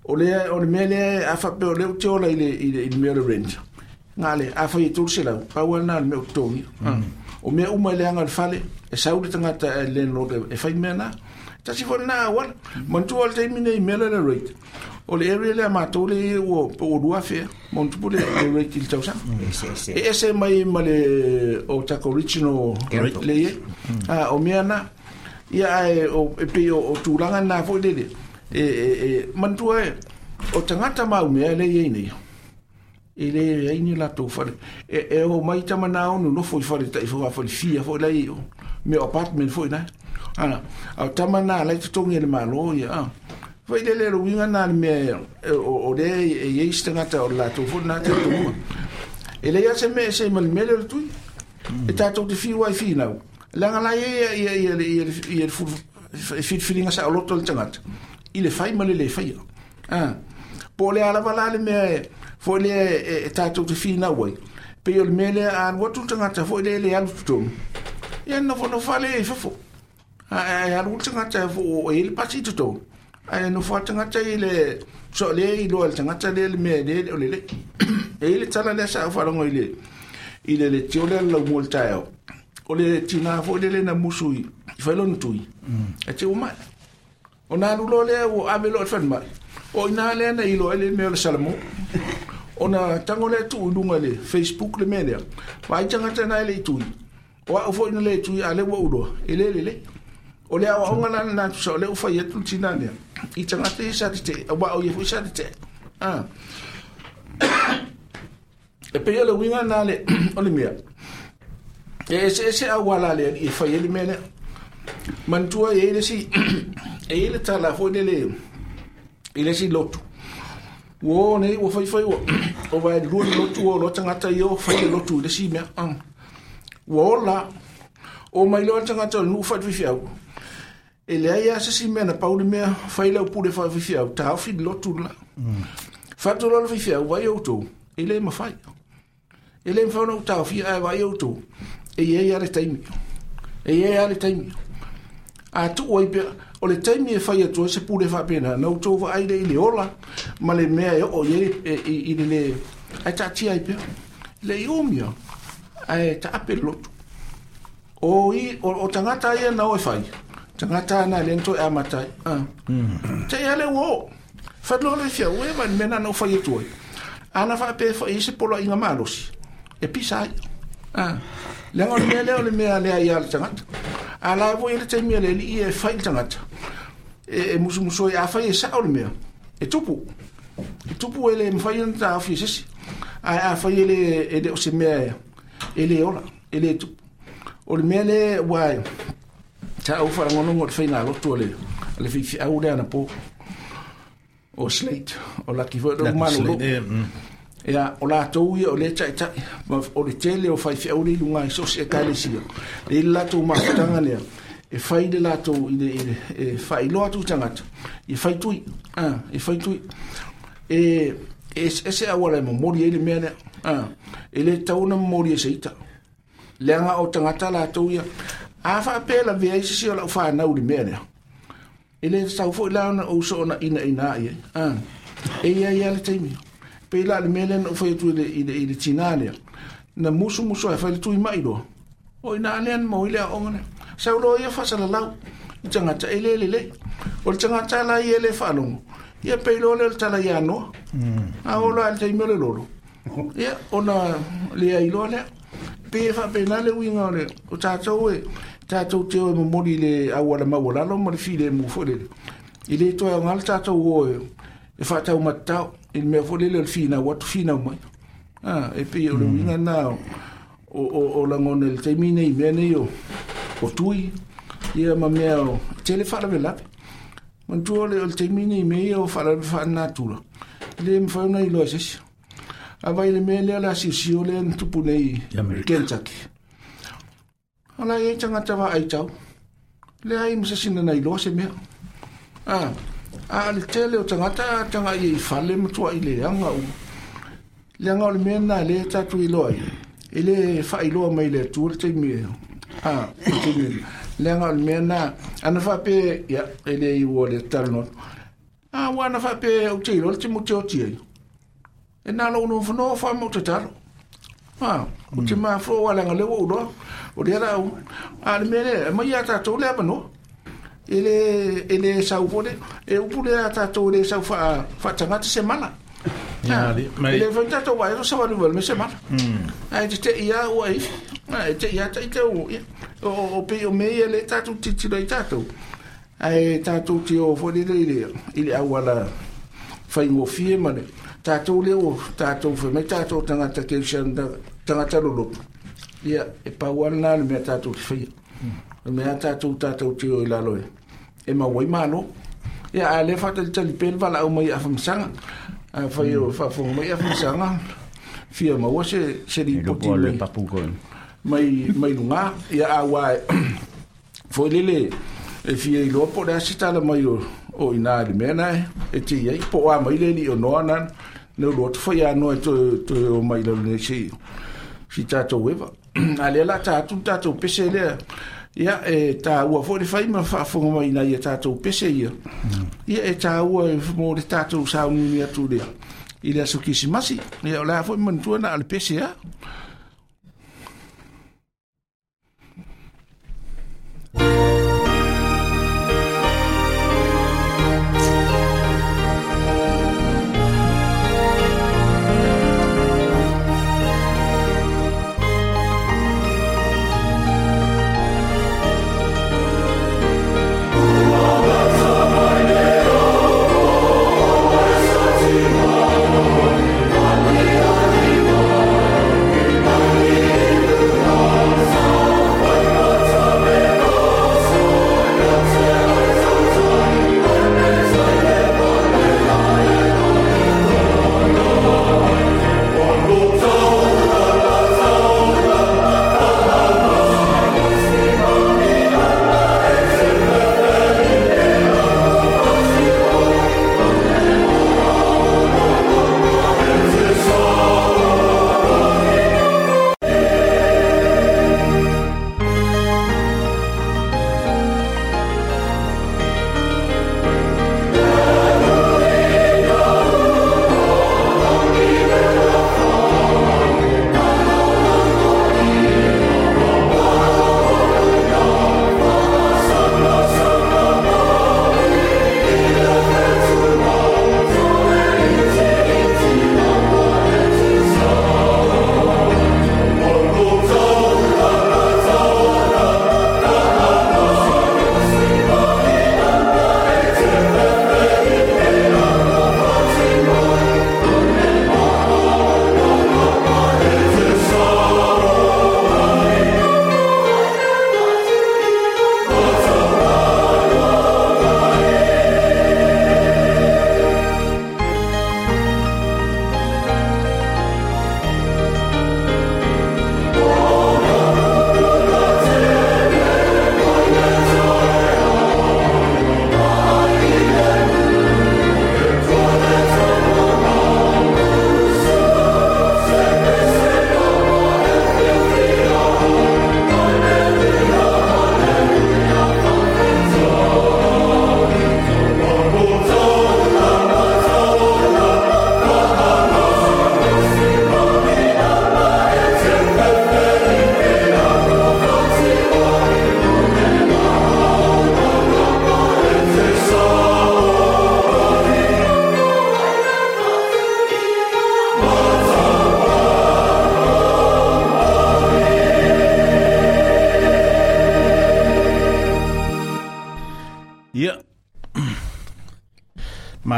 o le o le mea lea a faapea o lea ou te ola i le i le i le mea o le rent ngale a fai e tolu selau pau lena le mea o totogi o mea uma i le aga o le fale e sau le tagata e landlord e fai mea na tasi foi lena auala manatua le taimi nei mea le le rate o le area lea matou le ua po o lua afea manutupu le rate i le tausaga e ese mai ma le o tako original le iai o mea na ia ae o e pei o tulaga na foi lele e e manatua e o tagata maumea le iai nei e le ai ni latou fale e e o mai tamana onu nofo i fale tai fo fale fia fo lai o me apartment fo ina ana au tamana lai totogi le malo ia a foi le le luinga na le me o le e e istangata o latou fo na te tu e le ia se me se mal me le tui e tatou te fiu ai fi nau langa lai ia ia ia ia ia fi filinga sa loto le tangata i le fai ma le le fai a po le ala vala le me foi le e tatou te finau ai pe o le mea lea a alu atu le tagata foi le le alu totonu ia nofonofo ale i fafo ae alu le tagata o e le pasi i totonu ae nofo a le tagata i le so lea iloa e le tagata lea le mea le o le le e i le tala lea sa au faalogo i le i le letio lea le laumua le taeao o le tinā foi lele na musu i fai lona tui e te ua mai o nā alu loa lea ua ave loa i le falemai o ina lea na iloa ai le mea o le Salamo ona tango lea tuu i luga le Facebook le mea lea vaai tagata na e le i tui O au foi na le tui a le ua uloa, e le le le. O le awa onga lana nā tusa o le uwhai atu tina nea. I tangata i sa te te, a wa o ia fui sa te te. Ah. E pe o le winga nā le, o le mea. E ese ese au wala le i whai ele mea lea. Mantua e ele si, e ele tala foi le le, ele si lotu. Ua nei, ua whai whai ua, o vai lua le lotu o lo tangata i o whai le lotu le si mea. Ua ola, o mai loa tangata o le nuu whai whiwhiau. E lea ia se si mea na pauli mea, whai lau pule whai whiwhiau, ta ofi le lotu la. Whatu loa le whiwhiau, vai au tō, e le mawhai. E le mwhau na utau whia ai vai au tō, e ia ia le taimi. E ia ia le taimi. A tu oi pea, o le taimi e whai atua se pule whapena, na utō wa ai le i le ola, ma le mea e o i i le le, ai tātia ai pea. Le i omia, ai ta ape le lotu. O i, o, o tangata ia na o e whai. Tangata na le nto e amatai. Ah. Te ia le uo. Whadlo le whia, ue ma mena na o whai atua. Ana whape whai se polo inga malosi. E pisa ai. Ah. Leanga o le mea lea o le mea lea ia le tangata. A la voi le taimi le li e whai le tangata. E, e musumuso e a whai e sao le mea. E tupu. E tupu e le mwhai ana ta awhi e sesi. A, a whai e le, e le o se mea e le ola. E le tupu. O le mea le wai ta au wharangonongo le whainga lotu o le le whiwhi au le ana pō. O Slate. O laki fo o manu lo. Ia, o la tau ia o le tai tai, o le tele o whai whiau le lunga i sosi e kaile sia. Le le latou mafutanga lea, e whai le latou i le, i le, e whai loa tu tangata, e whai tui, ah, e whai tui. E, e ese awala e momori e le mea lea, ah, e le tauna momori e seita. Leanga o tangata latou ia, a whaapela vea i sisi o lau whanau le mea lea. E le tau foi launa o so ona ina ina ia, ah, e ia ia le taimi. Pe la le mea lea na uwhai atu i le, i le, i le tina lea. Na musu musu ai whai le tui mai loa. O ina alea na maui lea onga lea. Sau loa ia whasala lau. I tangata e le le le. O le tangata la ia le whalongo. Ia pe loa lea le tala ia noa. A o loa le taimi o le lolo. Ia ona lea i loa lea. Pe whape nā le uinga o le. O tātou e. Tātou te o e momori le awala maualalo ma le file e mufo le. I le toa o ngā le tātou o e. E whatau matau. I le mea fo lele o le whina, watu whina mai. Ah, e pe o le uinga nā o, o, o langone le taimi nei, mea nei o, o tui, ia ma mea o tele whaalawe lape. Mantua o le, o le taimi nei mea ia o whaalawe whaanatula. Le mwhai ona i loa sesi. A vai le mea lea la siusio lea ntupu nei Kentucky. Ala e tangata wa ai tau. Le ai masasina nei loa se mea. Ah, a le tele o tangata tanga i fale matua i le anga u. Le anga o le mea nā le tatu i loa i. E le whai loa mai le atua le taimi e. Ah, le taimi. Le anga o le mea nā, ana whape, ia, e le i ua le talo. Ah, ua ana whape au te iloa le te mo te oti ai. E nā lo unu whanoa wha mau te talo. Ah, o te mā whua le anga lewa uloa. O le ara au. A le mea le, mai a tātou le amanoa. Ele ele sau fole e upu le a tātou le sau wha wha tangata se mana. Ya, mai ele wha tātou wai ro sa walu me se mana. Ai te te ia ua i. Ai te ia te te o o o pe o me ele tātou titiro i tātou. Ai tātou te o fole le le i le awala whai ngofie mane. Tātou le o tātou whai mai tātou tangata ke usian tangata lolopu. Ia e pauana le mea tātou te whaia. O mea tātou tātou te o i lalo e. E mawai malo. Ia a le whatali tali pele wala au mai awhamasanga. A whai o whaafonga mai awhamasanga. Fia maua se, se ripoti mai. Mai, mai lunga. Ia a wai. Foi lele. E fia i loa po le asitala mai o, o ina le mea nae. E te iai. Po a mai le li o noa nana. Neu loa te whai a noa e to, to o mai lau nei si, si tātou ewa. A lea la tātou tātou pese lea. Ia e tā ua fo le whai ma whaafonga mai nai e tātou pese ia. Ia e tā ua e mō le tātou saunini atu lea. I le aso kisimasi. Ia o lea fo mantua na ale pese a. Thank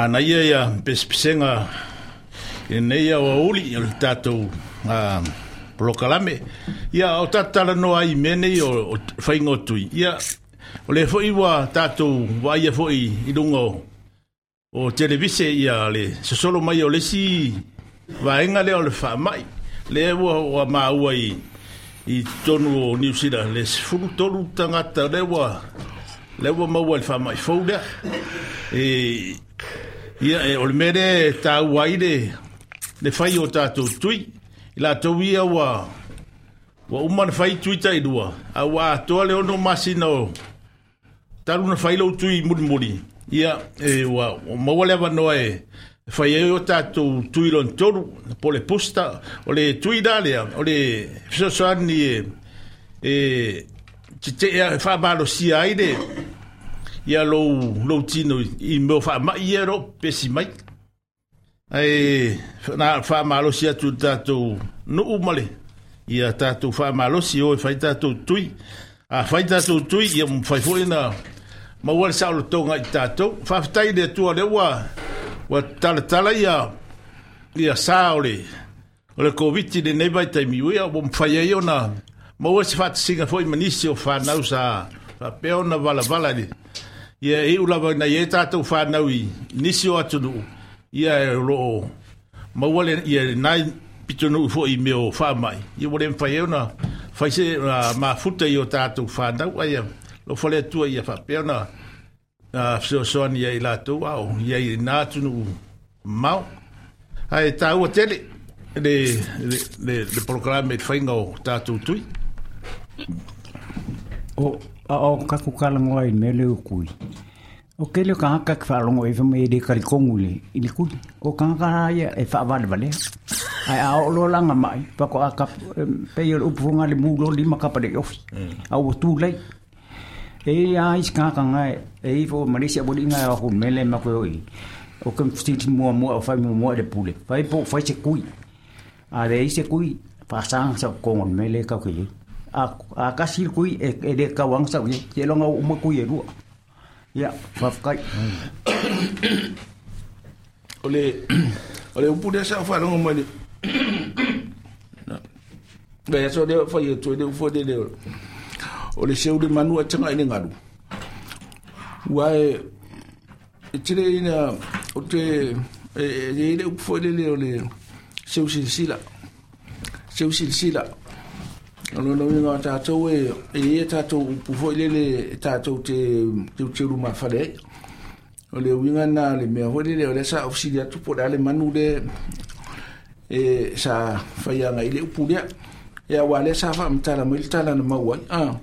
Manaia ia pesepesega i lenei aoauli o le tatou uh, polokalame. Ia o tatou talanoa ai i mea nei o, o faiga o tui. Ia o le foi ua tatou vaaia foi i luga o, o televise ia le sosolo mai o le isi vaega lea o le faamai. Lea ua, ua maua i i totonu o Niu Sila le sefulu tolu tagata lea ua lea ua maua i le faamai fou lea. E, ia, e, o le mea lea e taua ai le, le fai o tatou tui. I latou ia ua, ua uma na fai tui tailua, a ua atoa le ono masina o talu na fai lou tui mulimuli. Ia, e, ua, ua maua le avanoa e fai ai o tatou tui lona tolu, po o le booster, o le tui la lea, o le fesoasoani e, e tete'e faamalosia ai le ia lou, lou tino i, i mea o faamai ia o lo o pesi mai. Ae na faamalosi atu i le tatou nuu ma le ia tatou faamalosi o e fai tatou tui. A fai tatou tui, ia mafai foi ona maua le saolotoga i tatou. Faafetai i le Atua lea ua ua talatala ia ia sa o le o le Covid i lenei vaitaimi, ia ua mafai ai ona maua se faatasiga foi ma nisi o fanau sa faapea ona valavala i le ia e iu lava ina i ai tatou fanau i nisi o atunuu, ia o lo o maua le ia lena pitonuu foi i mea o faamai, ia ua le mafai ai ona fai se uh, mafuta i o tatou fanau, ai alofa le Atua ia faapea ona uh, fesoasoani ia i latou a o ia i lena atunuu mamao. Ae taua tele le, le, le, le polokalame i le faiga o tatou tui. O a o kaku kalangoa i mea le o kui. O ke le kangaka ke whaalongo e whamai e le karikongu le i le kui. O kangaka ia e whaavalevale. Ai a o lo langa mai, pako a kap, pe o le upufonga le mulo lima kapa le ofi. A ua tū lei. E a isi kangaka ngai, e ifo Malaysia wali ngai o ku mele ma koe oi. O ke mfititi mua mua o whai mua mua le pule. Whai po whai se kui. A le ise kui, whasanga sa kongo mele kau ke ye. A, a kasi le kui e, e le kauanga sa ye. Te longa o uma kui e rua. Ia, whawhakai. O le o le upu lea sa faalogo mai le le aso lea fai atu ai le upu foi lele o le seu le manu a taga i le galu. Ua e e tele ina o te e e i le upu foi lele o le seu silasila. Seu silasila. O lona uiga o tatou e e i ai tatou upu foi lele e tatou te teuteu mafale ai. O le uiga na o le mea foi lele o lea sa ofisili atu po o le a le manu le e sa faiaga i le upu lea. Ia ua lea sa faamatala mai le tala na maua ai. Ah.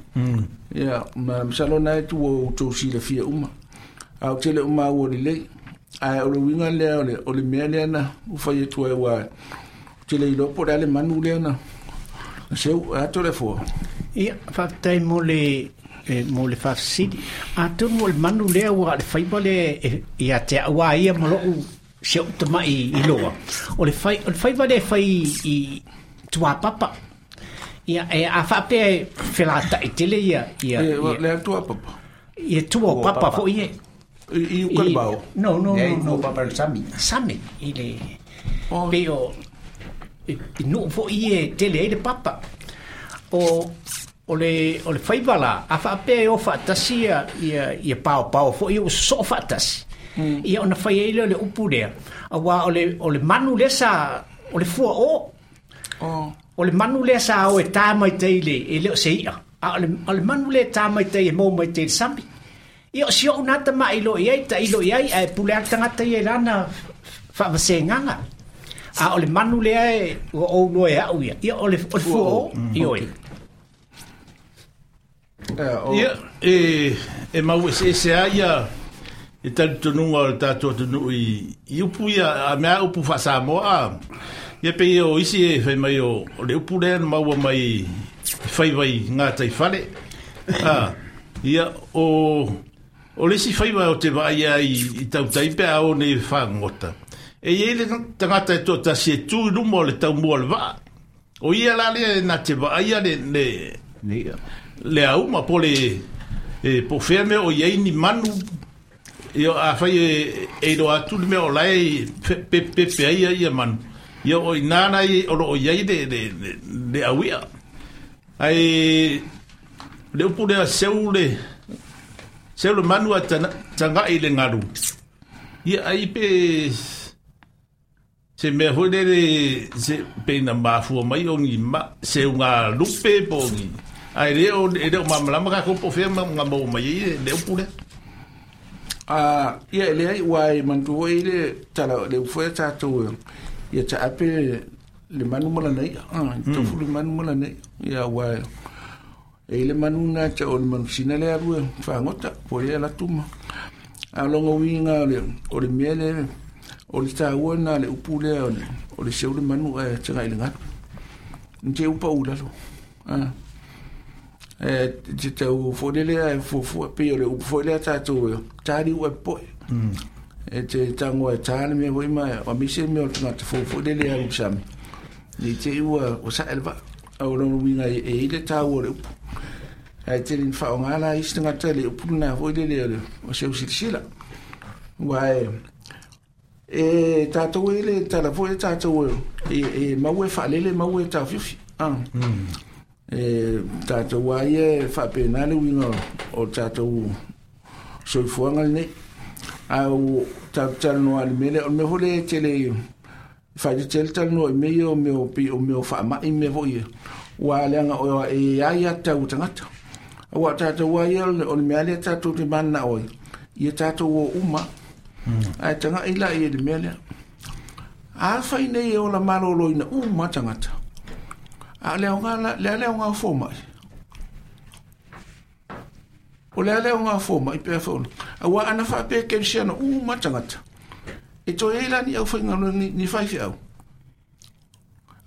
Ia ma masalo na e tua o outou silafia uma. A o tele o maua lelei. Ae o le uiga lea o le o le mea lea na ua fai atu ai ua ou te le iloa po o le a le manu lea na seu e ato le fua. Ia, faafetai mo le e, mo le faafesili. Atonu o le manu lea ua le faiva lea e, ia te au a ia ma lou si au tamai i loa. O le fai, o le faiva lea e fai i tuapapa. Ia, e a faapea e felatai tele ia, ia, E, ia, le tua papa. ia tua o papa foi e. I, i uka le bao. No, no, Nei, no, no. o papa le sami. Sami, i le, Oh. pe o, i, i nuu foi e tele ai le papa. O, o le, o le faiva la, a faapea e o faatasi ia, ia, ia paopao foi o sosoo faatasi. Mm. Ia ona fai ai lea o le upu lea. Auā o le, o le manu lea sa, o le fua o, Oh. o le manu lea sa o e tā mai tai le, e le o se ia. A o le, o le manu lea e tā mai tai e mau mai tai le sami. Ia o si ou nā tama i lo i ai, ta i lo i ai, ae pule a le tagata ia i lana faavasegaga. A o le manu lea e ua ou loa e au ia. Ia o le, o le fua o, i oe. Ia, o, Ia, e, e mau eseese a ia e talitonuga o le tatou atunuu i, i upu ia, a mea upu faa-Samoa a. Ia pei o isi e fai mai o, o le upu lea na maua mai i faiva i ngā fale. A, ia, o, o le isi faiva o te vaai ai i, i tautai pe a o nei fagogota. E i ai le tagata e toatasi e tu i luma o le taumua o le vaa. O ia la lea na te vaaia le, le, Nei, le auma po le e, po fea mea o i ai ni manu Ia afai e e iloa atu le mea o lae pepepe ai ia ia manu. Ia o ina na i o loo iai le le le auia. Ai le upu lea seu le seu le manu a tangai le ngalu. Ia ai pe se mea foi lele se pe na mafua mai o ni ma se unga lupe po ni. Ai le o le o mamalama ka ko po fea ma mo mai i le upu lea. Ah, ia le ai wai mantu i le tala le ufo tātou ia ta ape le manu mala nei ah tofu le manu mala nei ia wai e le manu na ta o le manu sina le aru whangota po ia la tuma a longa winga le o le mele o le tāua na le upu le o le o le seu le manu e tanga i le ngatu nte upa ulalo ah e te tau fo le e fo pe o le upu fo le tātou tāri ua poe e te tango e tāne mea hoi mai o mise mea o tangata fo fo le aru sami ni te ua o sa elva o longa winga e i le tāua le upu ai te lin whaongala i tangata le upu na fo le le o seu silisila wai e tātou e le tala fo e tātou e e maue whaalele maue tāwhiwhi ah e tātou ai e whapena le winga o tātou soifuanga nei au tātou talanoa le mele o le mea hole tele whaite tele talanoa i mea o mea o pi o mea o whaamai mea foi wa leanga o e ai a tau tangata aua tātou ai o le mea lea tātou te mana oi ia tātou o uma ai tanga ila i le mea lea a whai nei e o la malolo ina uma tangata a le onga le le onga fo mai o le le onga fo mai pe fo a wa ana fa pe ke siana u matangata e to ela ni au fainga ni ni fai fi au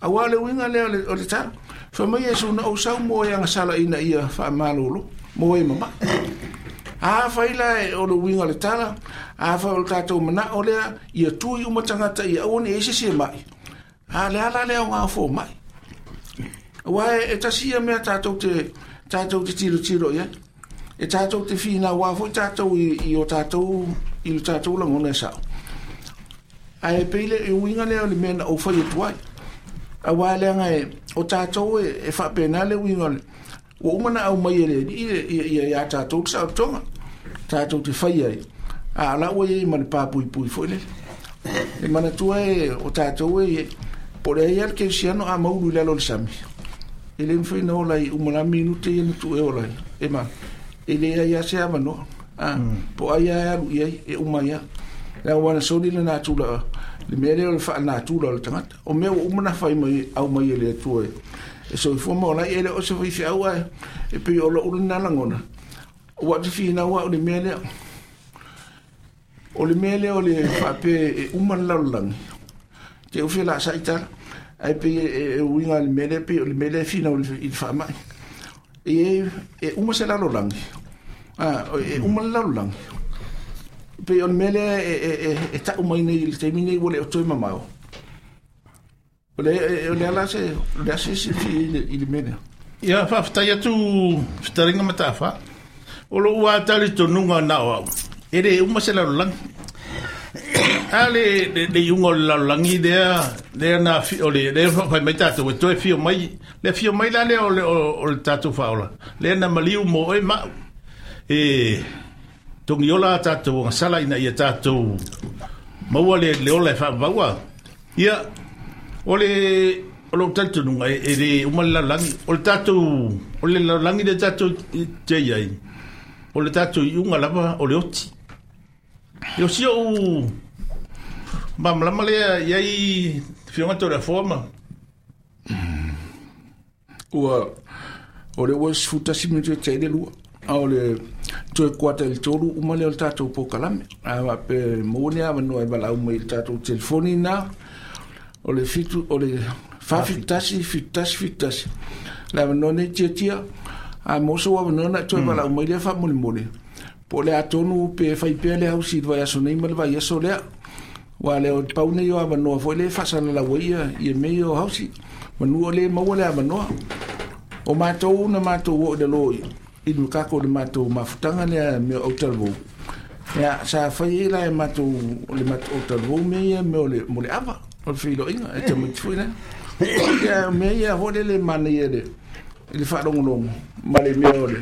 a wa le winga le o le ta fa mai e suna o sau mo ya sala ina ia fa malolo mo e mama a fa ila o le winga le tala a fa o tatou mana o le ia tui u matangata ia o ni e se se mai a le ala le onga fo mai wa e tasi ia mea tātou te tātou te tiro tiro ia e tātou te whina wā foi tātou i, i o tātou i o tātou langona e sao a e peile e uinga lea o le mea na o whai e tuai a wā leanga e o tātou e, e whapena le uinga le o umana au mai e le i i i a tātou te sao tonga tātou te whai ai a la ua i ma le pāpui pui foi le e mana tua e o tātou e po le ia le keusiano a maulu i lalo le sami e le mwhai na ola i umala minute ia na tu e ola e ma e le ia se avanoa ah po ai alu ia e uma ia la wana soli le natura le mea lea o le faanatura o le tagata o mea ua uma na fai mai au mai e le Atua e soifua ma ola ai e le o se faifeau ae e pei o lo'u lena lagona ua te finau a'u le mea lea o le mea lea o le faapea e uma le lalolagi te ufi la sa itala ai pe e uiga le mea lea pei o le mea lea e finau i le faama'i e e uma se lalolagi ah e uma le lalolagi pe o le mea lea e e e ta'u mai nei i le taimi nei ua le o toe mamao o le o le ala se o le ase se fi i le mea lea. Ia faafetai atu fetalinga matafa o lou ua tali tonuga na o au e le uma se lalolagi a le le iuga o le lalolagi lea lea na fi o le lea fai mai tatou e toe fio mai le fio mai la lea o le o le tatou faaola lea na maliu mo oe ma'u e togi ola tatou agasala ina ia tatou maua le le ola e faavaua ia o le o lou talitonuga e le uma le lalolagi o le tatou o le lalolagi le tatou te iai o le tatou iuga lava o le oti e o si o'u mamalama lea iai fioga tau le afoa ma ua o le ua sefutasi minute e taʻi le lua a o le toe kuata i le tolu uma lea o le tatou pokalame a faapea maua ni avanoa e valaau mai i le tatou telefoni na o le fitu o le fafitasi fitasi fitasi le avanoa nei tiatia a mo so avanoa na toe valaau mai lea faamolemole po o le atonu pe faipea le hausi i le vaiaso nei ma le vaiaso lea ua le o pau nei o avanoa foi le faasalalau ai ia ia mea ia o hausi manu o le maua le avanoa o matou na matou oo i lalo i le makako o le matou mafutaga lea mea o talavou Ia sa fai la e matou le matou talu me ia me o le mo le ava o le filoiga e te mati na. Ia me ia ho le le mana ia le le faalogologo ma le mea o le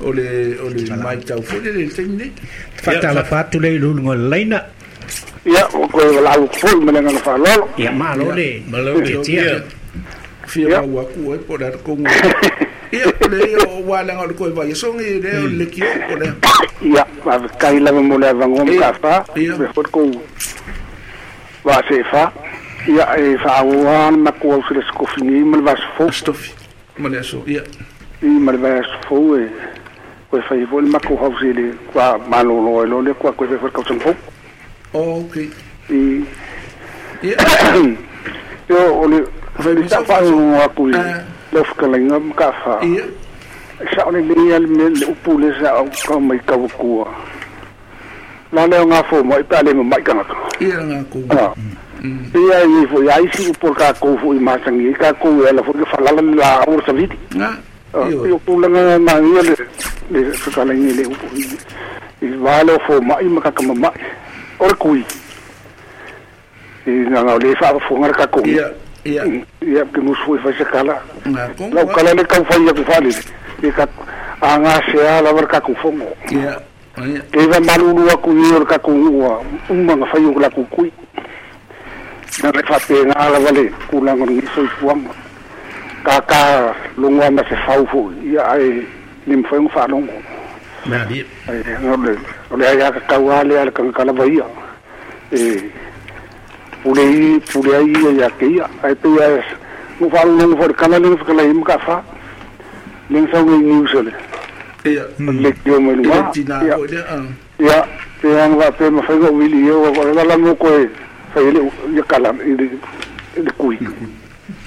o le o le mai tau foi le le taimi nei. Faatalofa atu le i luluga o le laina. Ia o koe lau foi ma le agaga faaaloalo. Ia malo le tietia. Fia mau aku ai po o le a kongo. Ia o le ia o wālanga o le koe vai songi le o le kio o le. Ia faafetai lava mo le avanoa ma kafā. Ia. Me foi kou vasefa. Ia e faaauau ma makou au se le sikofini ma le vasofou. Stofi ma le aso ia. I ma le vasofou e koe fai foi le makou hausi le kua malōlō ai loa lea kua koe fai foi le kausaga fou. Oh, okay. I Ia. Io o le Fai le me sa faalogologo atu i Ah. lau fetalaiga ma kafā. Ia. Sao le lei le mea le upu le sa au ka mai kavakua. La leo ngā fō mai pe a le mamai tangata. Ia ngā kou. Ah. Ia i fo ia isi upu o le kākou foi masangi ai kākou e ala foi ke falala le la au o le savili. Ngā. Ah, Ia. I o tulaga magia le le fetalaiga i le upu i i vā leo fōma'i ma kakamama'i. O le kui. I ngā o le faafofoga le kākou. Ia. Ia. Ia ke musu foi fai se kala. Ngā kongo. Lau kala le kau fai aku faalele. I ka a ngā sea lava le kākou fogo. Ia. Ia. Ke iwa malulu aku i o le kākou ua uma nga fai o la kukui. Na le whapenga lava le kūlanga o le soifuaga. Ka ka longoa ma se fau foi. Ia ai le mawhai o whaalongo. Mea Ai o le o le ai aka kau ale ale kanga kalava ia. E pule i pule ai ia ia ke ia. Ai pe ia mo whaalongo fo le kala le whakala i maka wha. Le sau ngai news ole. Ia. Le kio mai Ia lunga. tina Ia ko le ah. ia pe anga wa pe mawhai o wili ia o la la mo koe fai le ia kala i le i le kui.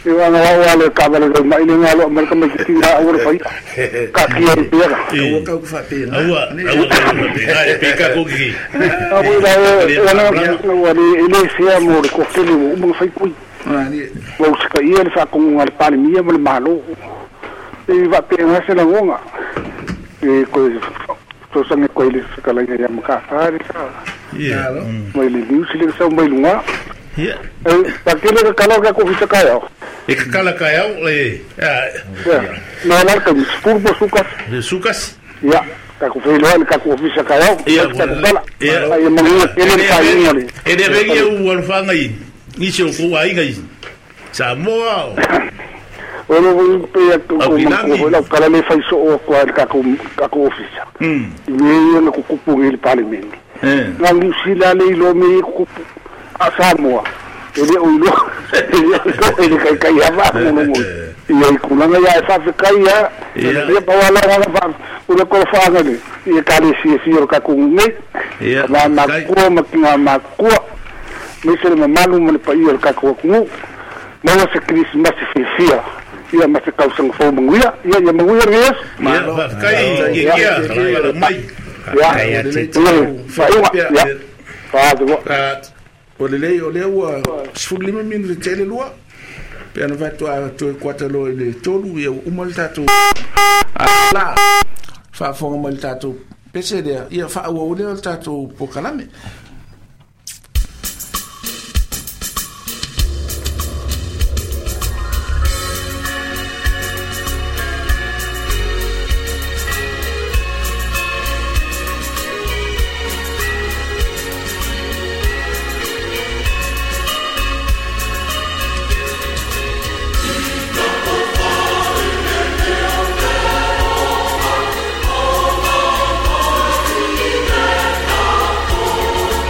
Ia anga wa wa le ka le mai le ngalo mai ka mai ki na o le fai. Ka ki e pera. Aua kau ku faapena. Aua, aua kau faapena, e pe ka koki. A o la e ana wa le ele sea mo le ko kele o mo fai kui. Ah, ni. Wa usika ia le whakonga le palemia ma le malo. E wa pe nga se la ngonga. E ko to sange ko ile whakalanga ia maka whare sa. Ia. Alo. Mai le niusi le sau mai lunga. Ia. E pa kele ka kala ka ko fisa kai au. E ka kala kai au le ah, Ia. Na la ka spurbo suka. le sukas. Ia. Ka ku whailoa le ka ku ofisa kai au. Ia, Ka ku kala. ia. Ai mangi kele le kai inga le. E le rengi au alofanga i nisi o kou aiga i Samoa o O le wei pe a ko Au Pilangi. ko la kala le fai so o ko le ka ku ka ku ofisa. Mm. I me ia ku kupu i le palemene. Eh. Ngā New Zealand le ilo me kupu a Samoa. E le o ilo, e le o le kai kai hava mo mo. Ia i kulanga ia e whawhekai ia, Ia. ia pawala ngā wha, ula kora whaanga le, ia ka le sia sia o ka kungu nei. Ia. Ngā makua ma ki ngā makua, me se le mamalu ma le paia o le kākou atunuu. Maua se Krismasi fiafia, ia ma se tausaga fou manuia, ia ia manuia le Iesu. Ia, faafetai i kia, ia mai. Ia, Ai, a Lelei te- ia, faaiuga, ia, faatu. Ah, O lelei o lea ua sefulu lima minute tele lua. Pe ana faatoa toe kuata loa i le tolu ia ua uma le tatou la faafofoga mai le tatou pese lea ia faaauau lea o le tatou pokalame. Oh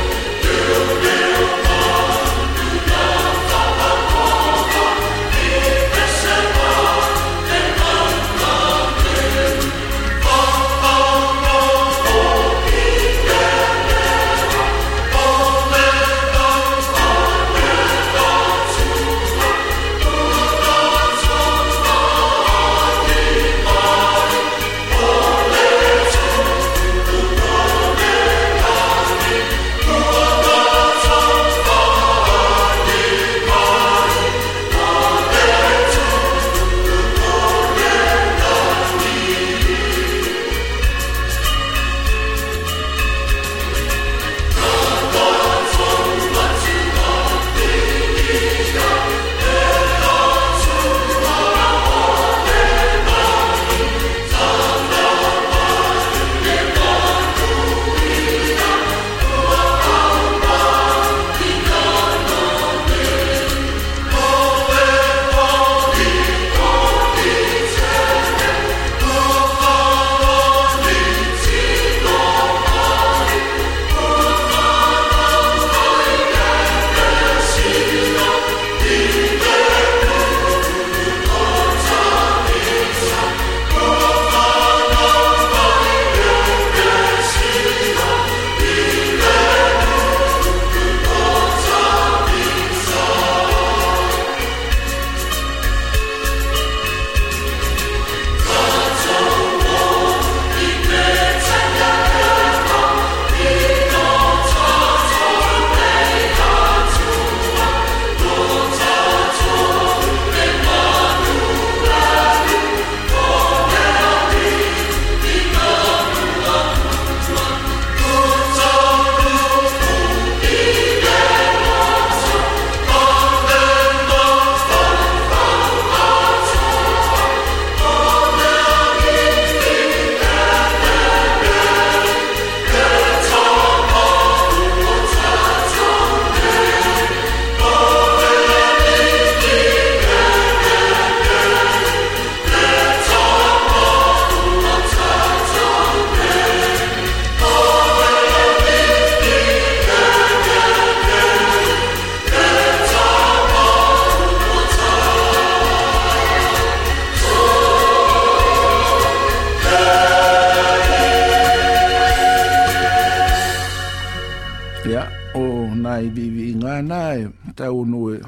tau no e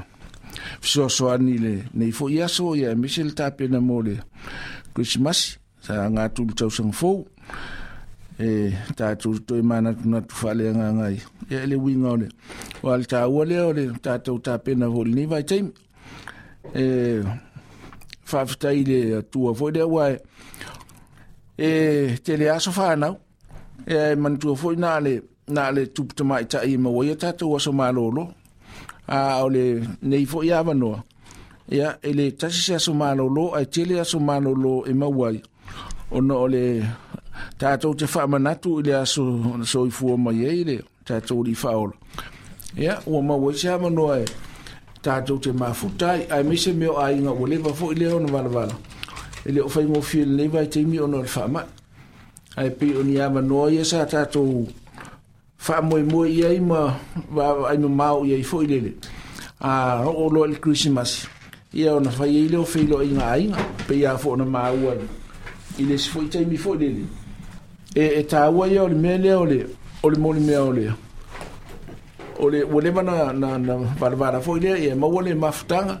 fesoasoani i lenei fo'i aso ia aemaise le tapena mo le Krisimasi sa aga atu i le tausaga fou e tatou toe manatunatu faaleagaga ai ia e le uiga o le o le taua lea o le tatou tapena foi i lenei vaitaimi e faafetai i le Atua foi lea ua e e tele aso fanau e manatua foi na le na le tupu tamaitai e maua ai a tatou aso malolo a o le nei foi avanoa ia e le tasi se aso malolo ae tele aso malolo e maua ai ona o le tatou te faamanatu i le aso soifua mai ai le tatou alii faaola ia ua maua ai se avanoa e tatou te mafuta ai aemaise mea o aiga ua leva foi lea ona valavala e le o faigofie lenei vaitaimi ona o le faamai ae pei o ni avanoa ia sa tatou faamoemoe i ai ma vaavaai mamao i ai foi lele a oo loa i le Krisimasi ia ona fai ai lea o feiloaiga aiga pei a foi ona maua i le isi foi taimi foi lele e, e taua ia o le mea lea o le o le molimea o le o le ua leva na, na, na valavala foi lea ia maua le mafutaga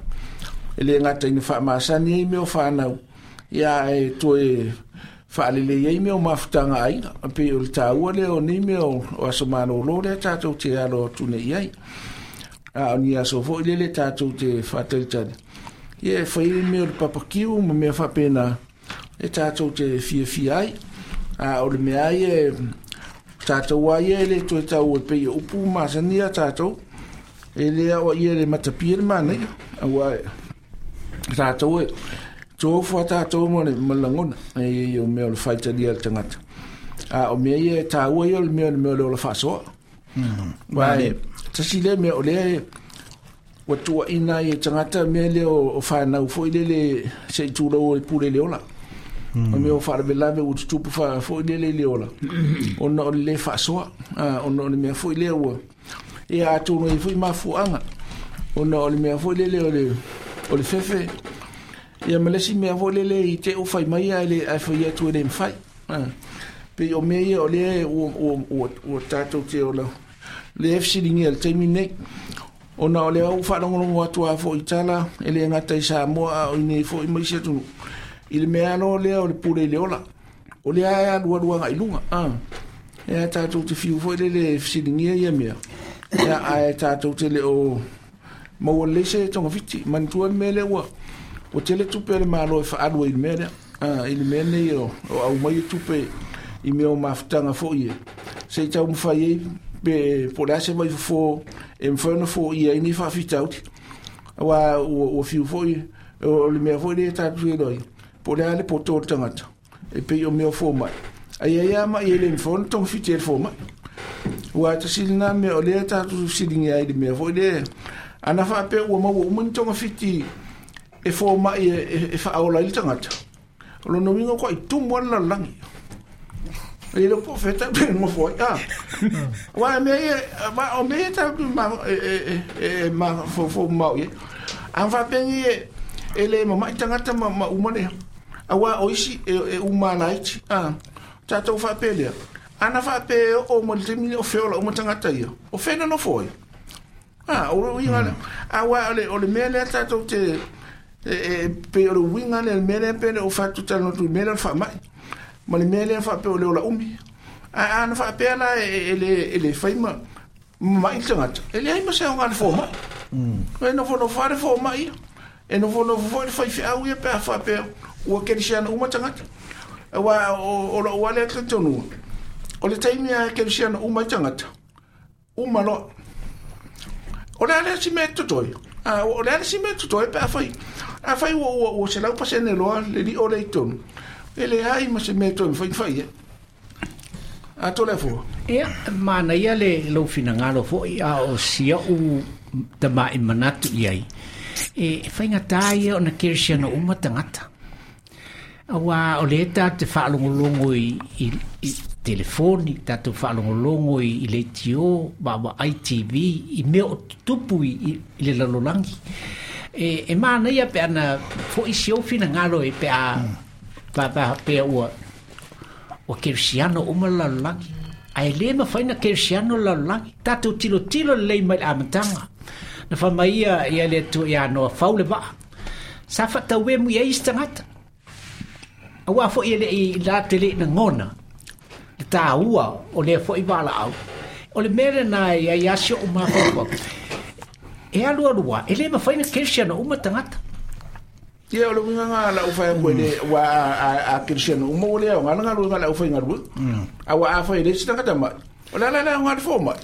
e le gata ina faamasani ai mea o fanau ia e toe faalelei ai mea o mafutaga aiga pei o le taua lea o nei mea o, o aso malolo lea tatou te alo atu nei ai a o ni aso foi lele tatou te faatalitali ia e fai ai mea o le papakiu ma mea faapena e tatou te fiafia ai a o le mea ai e tatou ai e le toe tau e pei o upu masani a tatou e le ao ia le matapia le manaia aua tatou e tofu a tatou ma le ma le lagona e ia o mea o le faitalia le tagata a o mea ia e taua ia o le mea o le mea o le ola faasoa uae tasi lea mea o lea ua tuuaina ai e tagata mea lea o fanau foi lele se i tulou o le pule le ola o mea o faalavelave ua tutupu foi lele i le ola ona o le lē faasoa ona o le mea foi lea ua ia atonu ai foi mafuaaga ona o le mea foi lele o le o le fefe ia ma le isi mea foi lele i te u fai mai ae le ae fai atu e le mafai pei o mea ia o lea ua ua ua tatou te ola le fesiligia i le taimi nei ona o lea ua faalogologo atu a foi i tala e le gata i Samoa a o inei foi ma isi atunuu i le mea alo lea o le pule i le ola o lea e alualu agai luga a e tatou te fiu foi lele fesiligia ia mea ia ae tatou te le o maua lelei se togafiti manatua le mea lea ua ua tele tupe a le Malo e faaalu ai i le mea lea a i le mea nei o, o aumai tupe i mea o mafutaga foi e se i taumafai ai pe po o le a se vaifofo e mafai ona foia ai nei faafitauli aua ua, ua fiu foi o le mea foi lea tatou iloa ai po o le a le poto o le tagata e pei o mea o fomai ai ai a mai e le mafai ona togafiti e le fomai ua tasi lena mea o lea tatou fesiligia ai i le mea foi lea ana faapea ua maua uma ni togafiti e fomai e, e faaola ai le tagata o lona uiga ua tumu a le lalolagi e le po feta pe mo foi ah wa me wa o me ta ma e e e ma fo fo ma ye a fa pe ni e le ma mai tangata ma ma uma le awa o isi e uma lait ah tatou fa pe le ana fa pe o mo le mi o fe o uma tangata ia o fe no foi ah o inga a wa le o le me le tatou te e pe o le winga le me le pe o fa tu talo tu me le fa mai ma le mea lea faapea o le ola umi a ana faapea la e le e le fai ma mai le tagata e leai ma se aoga le fomai e nofonofo a le fomai ia e nofonofo foi le faifeau ia pe a faapea ua kerisiana uma tagata aua o lou ale talitonuga o le taimi a kerisiana uma ai tagata uma loa o le a lea si mea totoe a o le a le si mea totoe pe a fai a fai ua ua ua selau pasene loa le li'o lea i tonu e leai ma se mea toe mafai fai e a to le fua ia manaia le lou finagalo foi a o sia'u tama'i manatu i ai e faigata ia ona kerisiana uma tagata auā o lē tatou te faalogologo i, i, i telefoni tatou faalogologo i, i leitio vaavaai T V i mea o tutupu i, i, i le lalolagi e, e manaia pe ana fo'i si ou finagalo e pe a pa pa pe ua ua kerisiano uma le lalolagi ae lē mafai na kerisiano le lalolagi tatou tilotilo lelei mai le amataga Na fa mai ia ia le tu ia no fau le va. Sa fa tau e mu ia isi tagata. Aua foi ele i la tele na ngona. Le tāua o lea foi valaau. O le mea lena ia ia si o mafaufau. E alu alua, e le mafai na kerisiano uma tagata. Ia o le uiga nga lau whai koe le wa a kerisiano uma o lea o ngā ngalu nga lau whai ngalu. A wa a whai le si tangata mai. O la la la ngā le fō mai.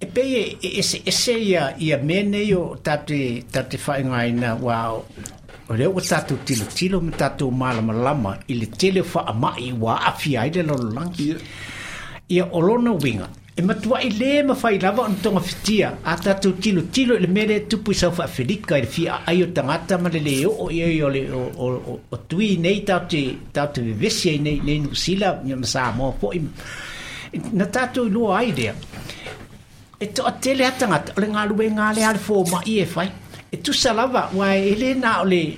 E pei e ese ese ia ia mea nei o tate tate whaingaina wa o lea ua tātou tilotilo ma tātou malamalama i le tele o faamai ua aafia ai le lalolagi. Ia o lona uiga e matua i le mafai lava ona togafitia a tātou tilotilo i le mea lea e tupu i South Africa i le fiaai o tagata ma le lē oo ia i o le o o o tui nei tatou tatou vevesi ai nei nei Niu Sila ma Samoa foʻi na tātou iloa ai lea. E toatele a tagata o le galuega lea a le fomai e fai. E tusa lava ua e lē na o le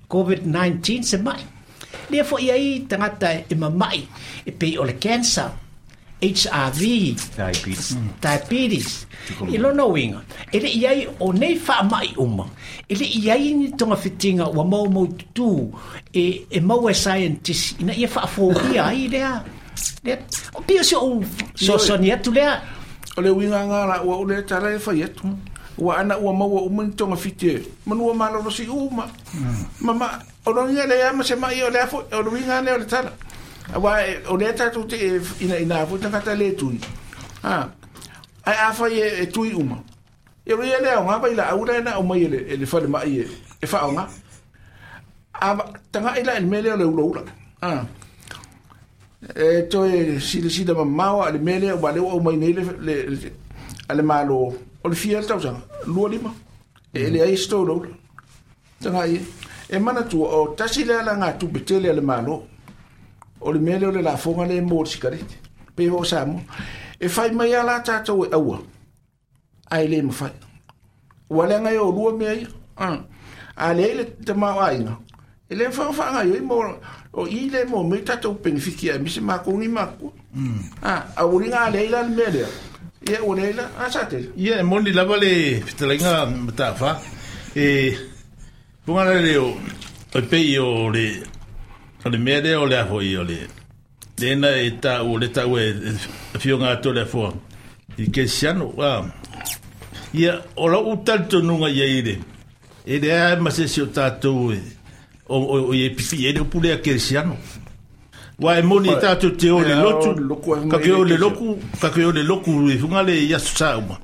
COVID nineteen se mai. Lea foʻi ai tagata e mamaʻi e pei o le cancer, H I V, diabetes, diabetes. I lona uiga e leʻi ai o nei faamaʻi uma e leʻi ai ni togafitiga ua maumau tutū e e maua e scientist ina ia faafoia ai lea lea o pei o se ou soasoani atu lea. O le uiga ngā la ua o le tala e whai atu. Ua ana ua maua uma ni tonga fiti e. Manua malolo si uma. Mama, o rongia le ama se mai o le afo, o le uiga le o le tala. Ua o le tātou te ina ina afo tangata le tui. Ha. Ai a whai e, e tui uma. E ria le o ngā vai la aura na o mai e le, e le whare mai e, e whaonga. A tanga ila e mele o le ula ula. Ha. E toe sila sila mamao a le mele o leo o mai nei le, le, le, a le malo o le fia le tausaga, lua lima. E le ai sto lola. Tanga i. E mana tua o tasi le ala ngā tupe tele a le malo. O le mele o le lafonga le mō le sikarete. Pe ho sa mo. E whai mai a la tātou e aua. Ai le mawhai. Ua le ngai o lua mea ia. A le le te mao ainga. E le whawha ngai o mo o i le mo me tātou penifiki a mise mākongi mākua. Ah, a uri ngā leila le mea lea. Ia o leila, a sa te. Ia, e moni lava le fitalenga matawha. E, punga le o, o pei o le, o le mea lea o le afo i o le, lena e tā o le tāu e whionga ato le afoa. I kesiano, ah. Ia, o lau utalito nunga ia i le. E le a masesi o tātou e, o o e pipi e le upule a kerisiano. Wa e moni tātou te o le lotu, ka ke o le loku, ka ke o le loku i funga le ia sa uma.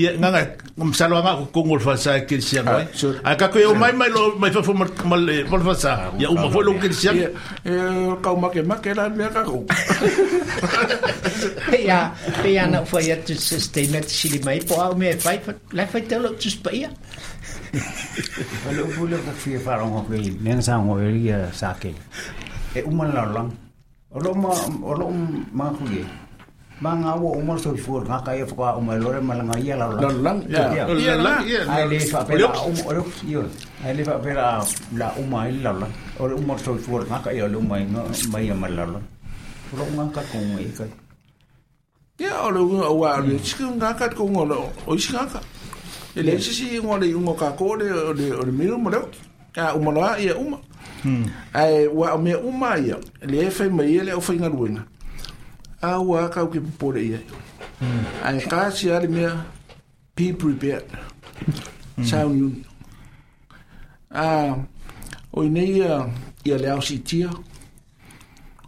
Ia nganga msalo anga ko kongo le fasa e kerisiano ai. A ka ke o mai mai lo mai fafo ma le ma le fasa. Ia uma foi lo kerisiano. E kau make make la mea ka ko. Ia, ia na foi atu statement sili mai po au me fai la fai te lo tus pa ia. O le upu lea ka fia wharongo koe, mea sa ngo e ria sa ke. E uma la lang. O lo ma o lo ma ku ye. Ma ngā ua uma so fua ngā kai whaka uma lore malanga ia la lang. Lang, ya. Ia la, ia. Ai le whapela uma o le io. Ai le whapela la uma i la lang. O le uma so fua ngā kai o le uma mai ia ma la lang. O lo ngā ka kongo e kai. Ia o le unga o le sika ngā ka kongo o isi ngā ka. E le sisi ingoa le ingoa ka ko le o le o le miru mo leo. A uma loa ia uma. Ai ua o mea uma ia. Le e whai mai ia le o whai ngaluenga. A ua kau ke popore ia. Ai ka si ale mea be prepared. Sound uni. A o inei ia ia le au sitia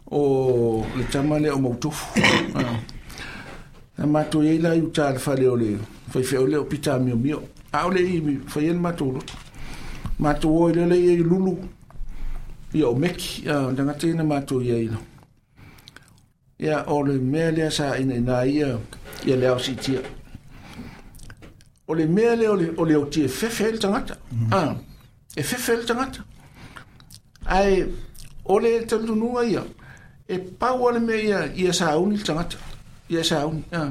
o le tama le o mautofu. Na mātou ia ila i uta le whale o le whai o le o pita mio mio. A o le i whai ele mātou loto. Mātou o i lele ia i lulu. Ia o meki. Ia tangata ina mātou ia ila. Ia o le mea lea sa ina ina ia ia le au sitia. O le mea lea o le, o le o tia fefe le tangata. Ah, e fefe le tangata. Ai o le talununga ia. E pau le mea ia ia sa uni le tangata. Ia sa uni. Ah.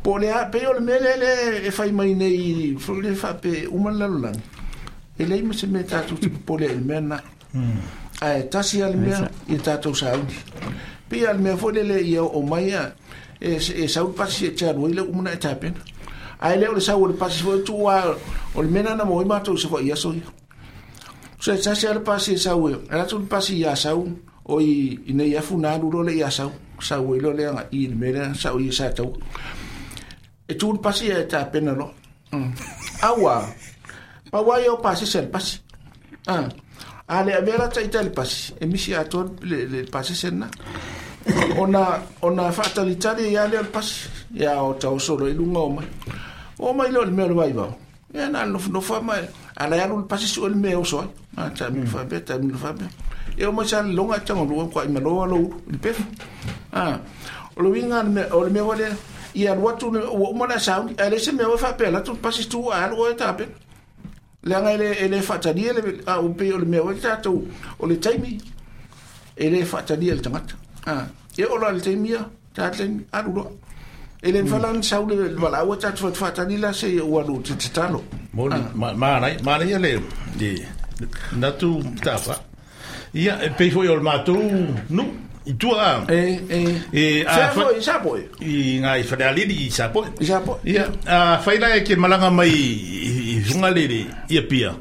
Po le a pe o le mea lea le e whai mai nei le whape uma le lalolagi. E lei ma se mea tātou te popole e le mea nā. Ai tasi a le mea ia tātou sa uni. Pe a le mea foi lele ia o mai a e, e sauri pasi e te alu le umana e tāpena. Ai le o le sau o le pasi foi tu a o le mena na mo i matou se foi aso ia. Se sa se le pasi sau e ala tu pasi ia sau o i i nei afu na alu lo le ia sau sau i lo le anga i le mena sau i sa tau. E tu pasi e ta pena lo. Aua pa wai o pasi se pasi. Ah ale avera ta itali pasi e misi a to le le pasi sen na. Ona ona faatalitali ia le pasi ia o tau solo i lunga o mai. O mai lo le mea o le vaivao. Ia na nofonofo mai ala ia le pasi su le mea o soai. A ta mi fa be ta mi fa be. E o mai sa longa tanga lo kwa i maloa lo le pefu. Ah o lo winga me o le mea wale ia lo tu o mo na sa ale se mea o fa pe la tu pasi tu a lo e ta pe. Le anga ele ele faatali le a o pe o le mea o ta tu o le taimi ele faatali le tangata. Ah, e o la le mia, ta le alu lo. E le falan sau le wala o ta fa tani la se o alu te talo. Mo ma ma nai ma nai le de natu ta fa. Ia e pe foi o matu nu i tua. E e e a fa i sapo. I ngai fa ali i sapo. I sapo. Ia a fa ila ke malanga mai i funga le ia pia.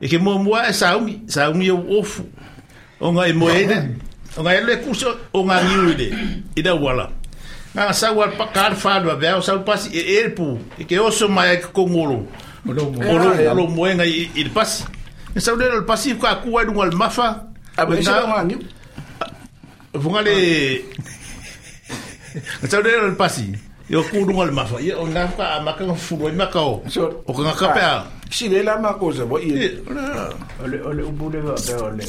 E ke mo mo e saumi, saumi o ofu. O ngai mo e o ngai le kuso o ngai niu ile i da wala nga sa wa pa kar fa do ve o sa pasi e erpu e ke oso mai ke kongolo o lo lo moenga i i pasi e sa le le pasi ka ku wa dungal mafa a be sa ngai niu vunga le sa le le pasi e o ku dungal mafa e o nga ka maka fu lo maka o o ka ka pa si le la ma cosa bo i o le o le ubule va pe o le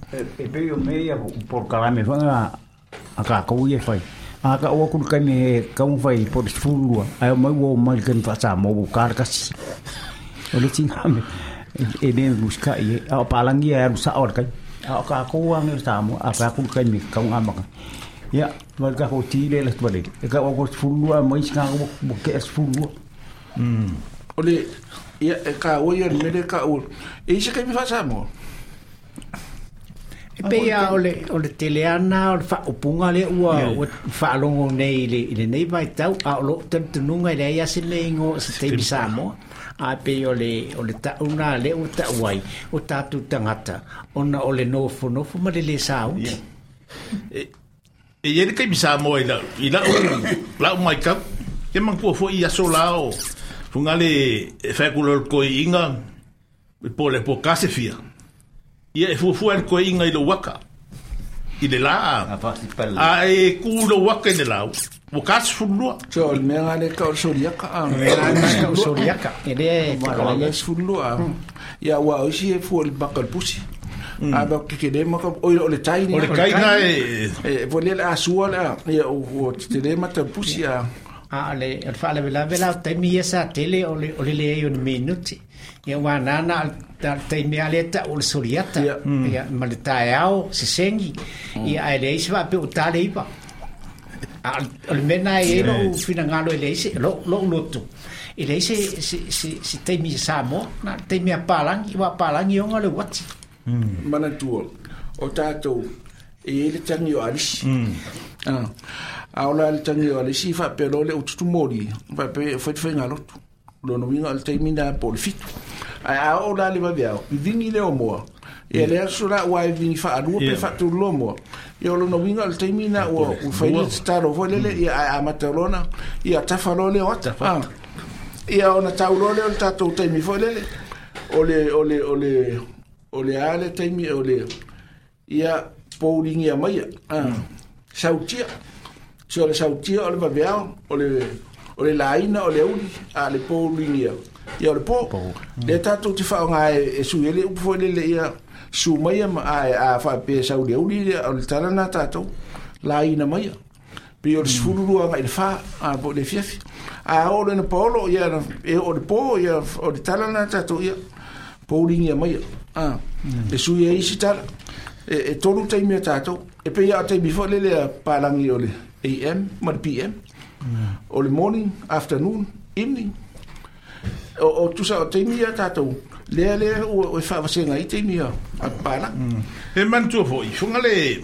e pe o mea por kalame fanga a ka ko ye fai a ka o ku ka me ka un fai por fulua ai mai wo mai ken fa sa mo ka ka si o le tinga me e me busca e a palangi a sa or ka a ka ko wa me sa mo a ka ku ka me ka un amaka ya va ka ko ti le la vale e ka o ko fulua mai ka ko ke es fulua mm o le ya ka o ye me le ka o e se ka me fa sa mo. E pe ia o le, o le teleana, o le whaopunga le ua, ua whaalongo nei le, le nei vai tau, a o lo tantununga i le ia se nei ngo se teimi Samoa, a pe o le, o le tauna le o tauai, o tātou tangata, ona o le nofo nofo ma le le saungi. E, e iere kai Samoa i lau, i lau, lau mai kau, ke mangpua fo i aso lao, funga le whaekula koi inga, po le po kase fia. Ia e fuafua le koe inga i lo waka i le laa a e ku lo waka i le lau o kasi fulua so o le mea le ka o le soriaka o le mea ka o soriaka e le o le fulua ia ua o isi e fua le baka le pusi a ba ke le maka o le tai o le kai na e e vo le a sua le ia o te le mata pusi a a le o le faalavelave la o taimi ia sa tele o le o le leai o ni minuti ia ua nana ta taimi ale ta o le soriata ia ma le taeao sesengi ia ae leai se faapea o tale iva a o le mea na e lou finagalo e leai se lou loto e leai se se se se taimi Samoa na taimi a palangi ua palangi ona le uati manatua o tatou e i le tangi o alisi a o la le tangi o alisi faapea lo le ututumoli faapea faifaiga lotu lona uiga o le taimi na po o le fitu ae a oo la le vaveao vivingi le o moa ia le aso la ua e vingi faalua pe faatolu loa moa ia o lona uiga o le taimi na ua fai le tatalo foi lele ia ae amata lona ia tafa loa le o ata ia ona tau loa lea o le tatou taimi foi lele o le o le o le o le a le taimi o le ia pouligia maia sautia se o le sautia o le vaveao o le o le laina o le uli a le pouligia ia o le po le tatou te faaaoga e sui ai le upu foi lele ia su maia ma ae a faapea sau le uli o le tala na tatou laina maia pe o le sefulu lua agai le fa a po o le fiafi a oo lena paolo ia e o le po ia o le tala na tatou ia pouligia maia a e sui ai isi tala e, e tolu taimi a tatou e pei a o taimi foi lele a palangi o le A M ma le P M o le morning, afternoon, evening o, o tusa o taimi a tatou lea lea ua e faavasega ai taimi a pala e manatua foi funga le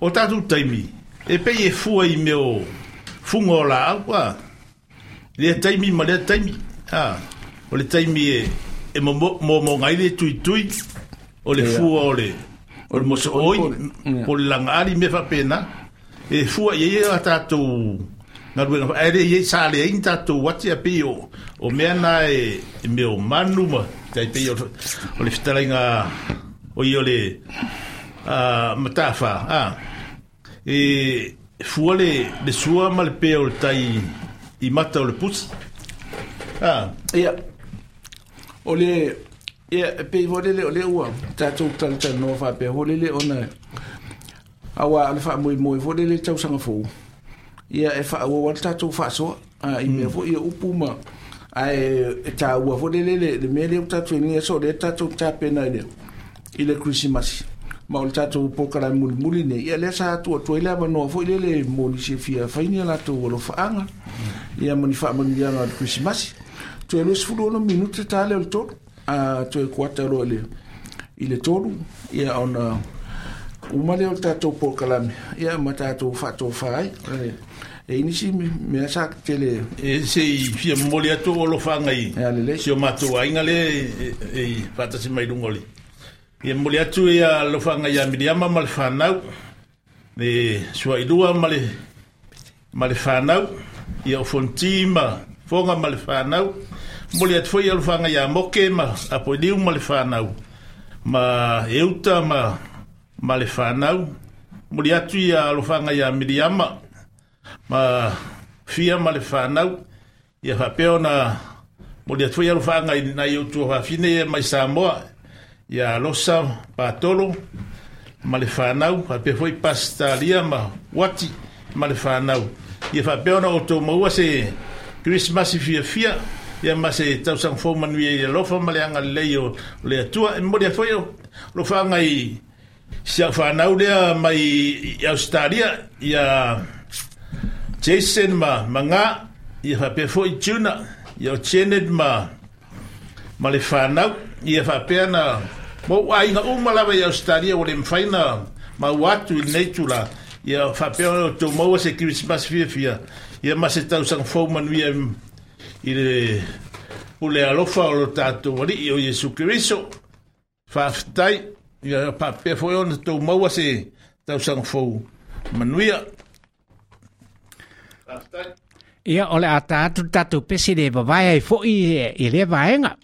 o tatou taimi e pei e fua i mea o funga o laau a Lea taimi ma lea taimi. Ah, o le taimi e e mo mo mo ngai le tui tui o le fua o le o le moso oi po le langali me fa pena e fua ia ia tatou galuega ae le iai sa leai ni tatou ati a pei o o mea na e e mea o manu ma tai pei o o le fetalaiga o ia o le a matafa a e fua le le sua ma le pea o le tai i mata o le pusi a ia o le ia e pei foi lele o le ua tatou talatalanoa faapea foi lele ona auā o le faamoemoe foi lele tausaga fou ia e faaauau ai le tatou faasoa i mea foi ia upu ma ae e taua foi lele le le mea lea ua tatou i lenei aso o lea tatou tapena i le i le Kerisimasi ma o le tatou polokalame mulimuli nei ia lea sa atu atu ai le avanoa foi lele mo nisi e fia fai ni a latou alofaaga ia ma ni faamanuiaga o le Kerisimasi toe luasefulu ono minute ta lea o le tolu a toe kuata loa i le i le tolu ia ona uma lea o le tatou polokalame ia ma tatou faatofā ai e i nisi mea sa tele e sei fia momoli atu o alofaga i si o matou aiga lea e faatasi mai luga o le ia momoli atu ia alofaga ia Miriama ma le fanau le suailua ma le ma le fanau ia o Fonti ma Foga ma le fanau momoli atu foi alofaga ia Moke ma Apoiliu ma le fanau ma Euta ma ma le fanau momoli atu ia alofaga ia Miriama ma Fia ma le fanau ia faapea ona momoli atu foi alofaga i nai ou tuafafine ia mai Samoa ia Losa Patolo ma le fanau faapea foi Pastalia ma Wati ma le fanau ia faapea ona outou maua se Kerisimasi fiafia ia ma se tausaga fou manuia i le alofa ma le agalelei o le Atua. E momoli atu foi alofaga i si au fanau lea mai i Australia ia Jason ma Manga ia faapea foi Juna ia o Janet ma ma le fanau ia faapea na ma ou aiga uma lava i Australia ua le mafai na maua atu i lenei tula ia faapea ona outou maua se Kerisimasi fiafia ia ma se tausaga fou manuia i le pule alofa o lo tatou Alii o Iesu Keriso. Faafetai ia faapea foi ona tou maua se tausaga fou manuia. Faafetai. Ia o le a ta atu le tatou pese le vavae ai foi i lea vaega.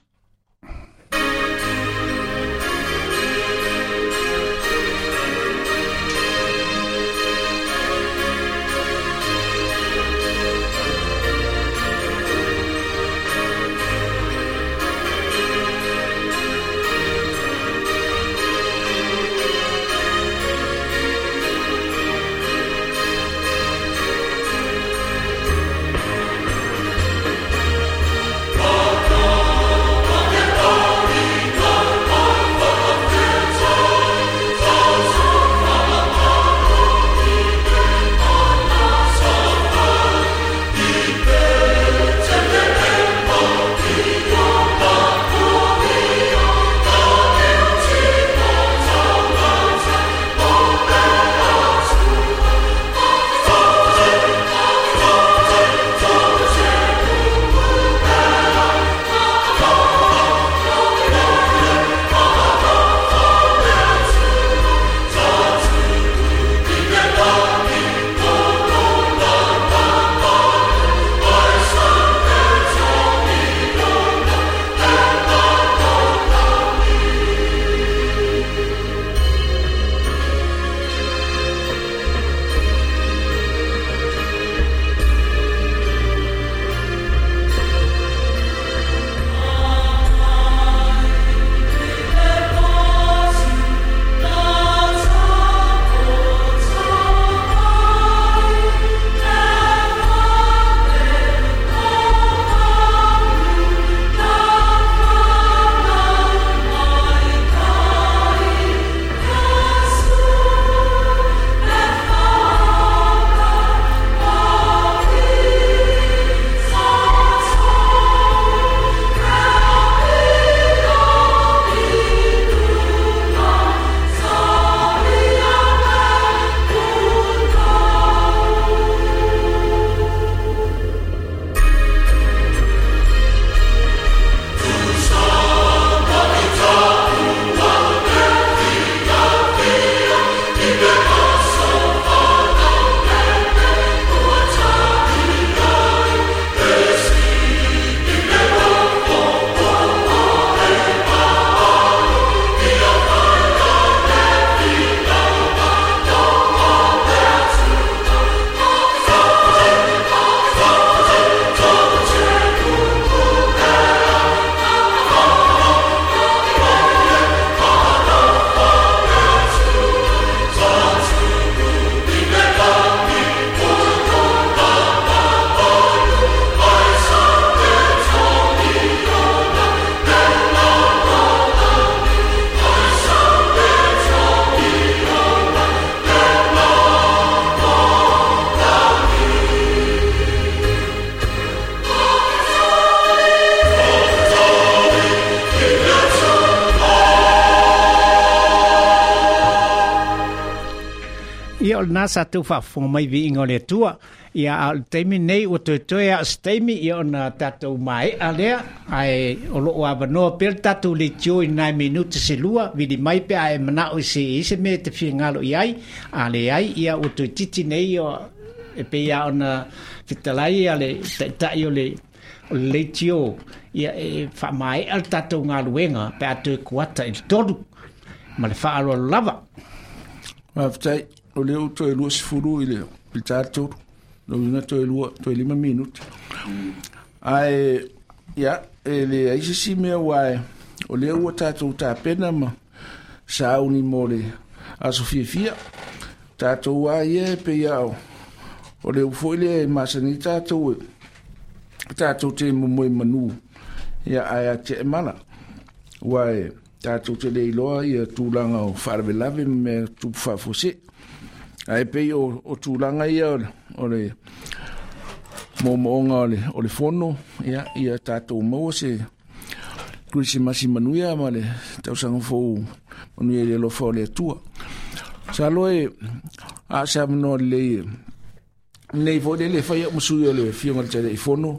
Oh, ia o lena sa tou faafofoga mai viiga o le Atua. Ia a o le taimi nei ua toetoe a o se taimi ia ona tatou mae'a lea ae o loo avanoa pea le tatou leitio i nai minuta se lua vili mai pe a e manao i se i se mea e te fiagalo i ai a leai ia ua toetiti nei o e pei a ona fetalai a le ta'ita'i o le o le leitio ia e faamae'a le tatou galuega pe a toe kuata i le tolu ma le faaaloalo lava. Faafetai o lea ua toe lua sefulu i le i le tatou lona toe lua toe lima minuti. Ae ia e leai se isi mea ua o lea ua tatou tapena ma sauni mo le aso fiafia. Tatou a ia e pei a o o le foi le masani tatou e tatou te momoe manu ia ae a te mala ua e tatou te le iloa ia tulaga o faalavelave ma mea tupu faafuasei. Ae pei o, o tulaga ia o le, o le moomooga o le, o le fono ia, ia tatou maua se Kerisimasi manuia ma le tausaga fou manuia i le alofa o le Atua. Salo e a se avanoa lelei nei foi le le fai au ma sui o le afioga i le Taitaifono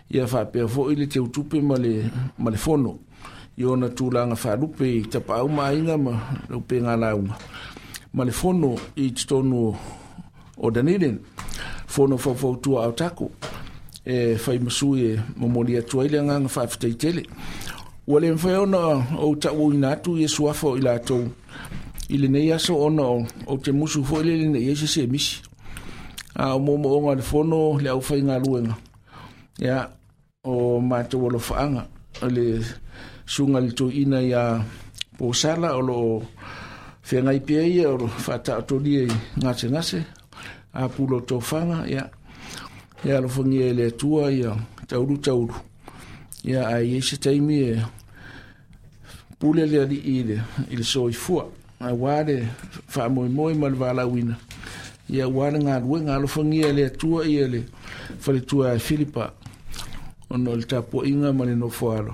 ia faapea foi le teutupe ma le, ma le fono i ona tulaga faalupe i tapaau ma aiga ma le upega lauga ma le fono i totonu o Dunedin, fono faufautua a Otago e fai ma sui e momoli atu ai le agaga faafetai tele. Ua le mafai ona ou ta'uina atu ia suafa o i latou i lenei aso ona o ou te musu foi lele nei ai se se misi. A o moomooga o le fono le aufaigaluega ia o matou alofaaga o le suga i le toeaina ia Posala o loo feagai pea ia o lo faataotolia i gasegase a pulo tofaga ia ia alofagia e le Atua ia taulu taulu ia ae iai se taimi e pule le alii i le, i le soifua auā le faamoemoe ma le valaauina ia auā le galuega alofagia e le Atua ia le faletua e Filipa ona o le tapuaiga ma le nofoalo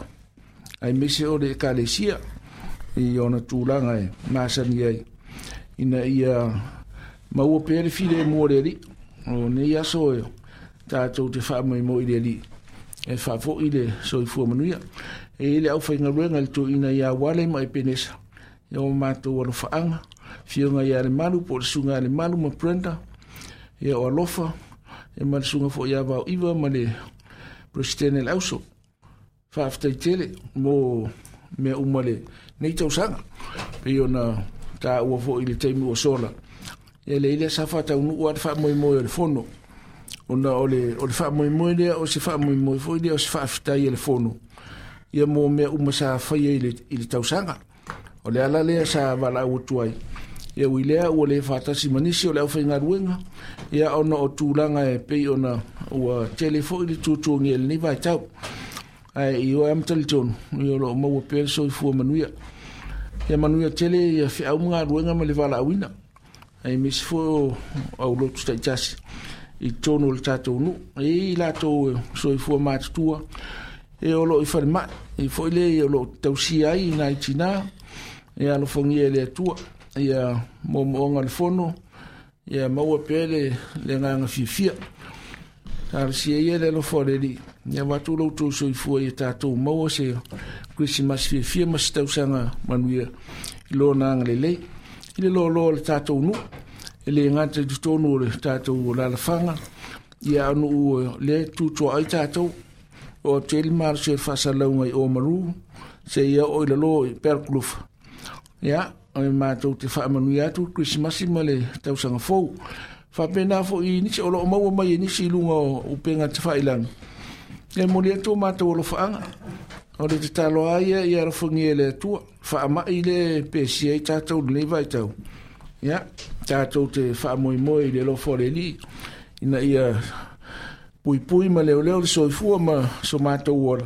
aemaise o le ekalesia i ona tulaga e masani ai ina ia maua pea le filemu o le alii. O nei aso e tatou te faamoemoe i le alii e faafo'i le soifua manuia. E i le aufaigaluega i le toeaina ia Uale ma Epenesa ia o matou alofaaga afioga ia Lemalu po o le susuga ia Lemalu ma Brenda ia o alofa ia ma le susuga foi ia Vaoiva ma le Peresetene le Auso. Faafetai tele mo mea uma le nei tausaga pei ona taua foi i le taimi ua sola. Ia leai lea sa faataunuu lava le faamoemoe o le fono ona o le, o le faamoemoe lea o se faamoemoe foi lea o se faafetai a le fono ia mo mea uma sa faia i le, i le tausaga. O le ala lea sa valaau atu ai ia ui lea ua le faatasi ma nisi o le aufaigaluega ia ona o tulaga e pei ona ua tele foi le tuatuagia i lenei vaitau. Ae i o e ma talitonu ia o loo maua pea le soifua manuia. Ia manuia tele ia feau ma galuega ma le valaauina aemaise foi o aulotu taitasi i totonu o le tatou nuu. E i ai latou soifua matutua e o loo i falemai e foi lea o loo tausia ai nai tinā ia alofagia e le Atua ia moomooga o le fono ia maua pea le, le agaga fiafia. Talosia ia le alofa o le Alii ia avatu lo outou soifua ia tatou maua se Kerisimasi fiafia ma se tausaga manuia i lona agalelei i le loaloa o le tatou nuu e le gata i totonu o le tatou alalafaga ia a o nuu lea e tutua ai tatou o atu ai le malosi o le faasalalauga i Oamaru seia oo i lalo i Pelkulufa. Ia o matou te faamanuia atu le Kerisimasi ma le tausaga fou. Faapena foi i nisi o loo maua mai e nisi i luga o upega tafailagi e momoli atu o matou alofaaga o le tatalo a ia ia alofagia e le Atua faamai le pesia ai tatou i lenei vaitau. Ia tatou te faamoemoe i le alofa o le Alii ina ia puipui ma leoleo le soifua ma so matou ola.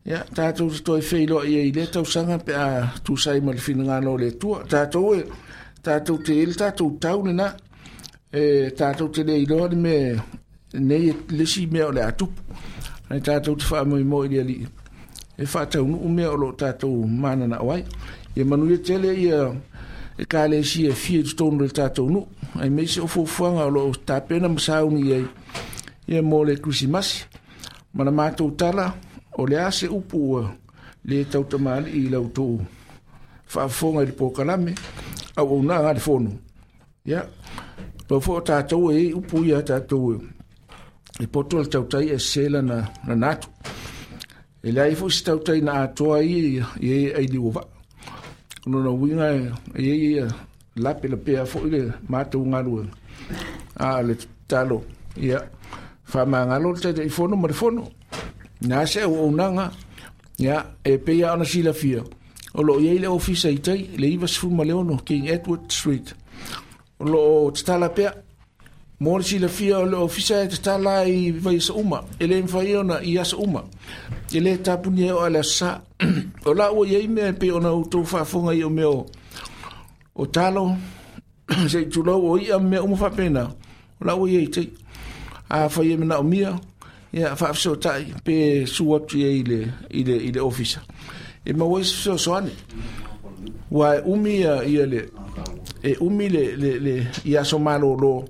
Ia tatou te toe feiloai ai i lea tausaga pe a tusai ma le finagalo o le Atua. Tatou e tatou te i le tatou tau lena e tatou te le iloa le mea nei le isi mea o le a tupu. Ae tatou te faamoemoe i le Alii e faataunuu mea o loo tatou mananao ai. Ia manuia tele ia ekalesia e fia i totonu o le tatou nuu Ai meise o fuafuaga o loo tapena ma sauni ai ia mo le Krisimasi. Ma na matou tala o le a se upu ua le tautamalii i la outou faafofoga i le polokalame auaunaga a le fono. Ia pau foi o tatou e iai upu ia tatou e poto le tautai e sese lana lana atu. E leai foi se tautai na atoa ai i ai liu o vaa. O lona uiga e iai ia lape lapea foi le matou galuega. A o le tatalo ia faamagalo le Taitaifono ma le fono. Na se auaunaga ia e pei lava ona silafia o loo iai le ofisa i tai le ivasefulu ma le ono King Edward Street. O loo tatala pea mo le silafia o le ofisa e tatala i vaiaso uma. E le mafai ona i aso uma. E le tapunia o a le aso Sa. O la ua iai mea e pei ona outou faafofoga i o mea o o talo se i tulou o i'a ma mea uma faapena. O la ua iai tai. Afai e manaomia ia faafesootai pe su atu iai i le i le i le ofisa e maua ai se fesoasoani. Ua e umi ia ia le e umi le le le i aso malōlō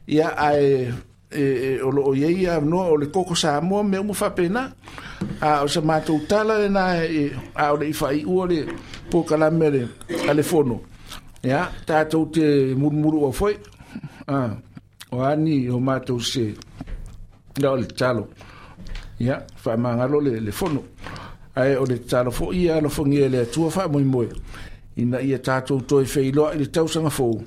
ia ae e, e, o loo iai ia avanoa o le koko Samoa mea uma faapena. A o sa matou tala lena e a o le i faaiua le polokalame a le a le fono. Ia tatou te mulumulu'a foi a o ani o matou se la o le tatalo. Ia faamagalo le le fono. Ae o le tatalo foi ia alofagia e le Atua faamoemoe ina ia tatou toe feiloai i le tausaga fou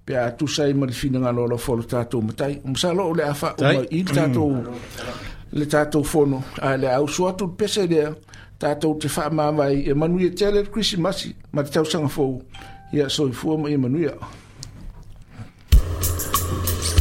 pe a tusa ai ma le finagalo alofa o le tatou Matai. Masalo o le a faauma i le tatou le tatou fono ae le a usu atu le pese lea tatou te faamavae e manuia tele le Krisimasi ma le tausaga fou. Ia soifua ma ia manuia. Thomas.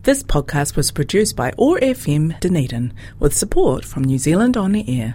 This podcast was produced by O R F M Dunedin with support from New Zealand On Air.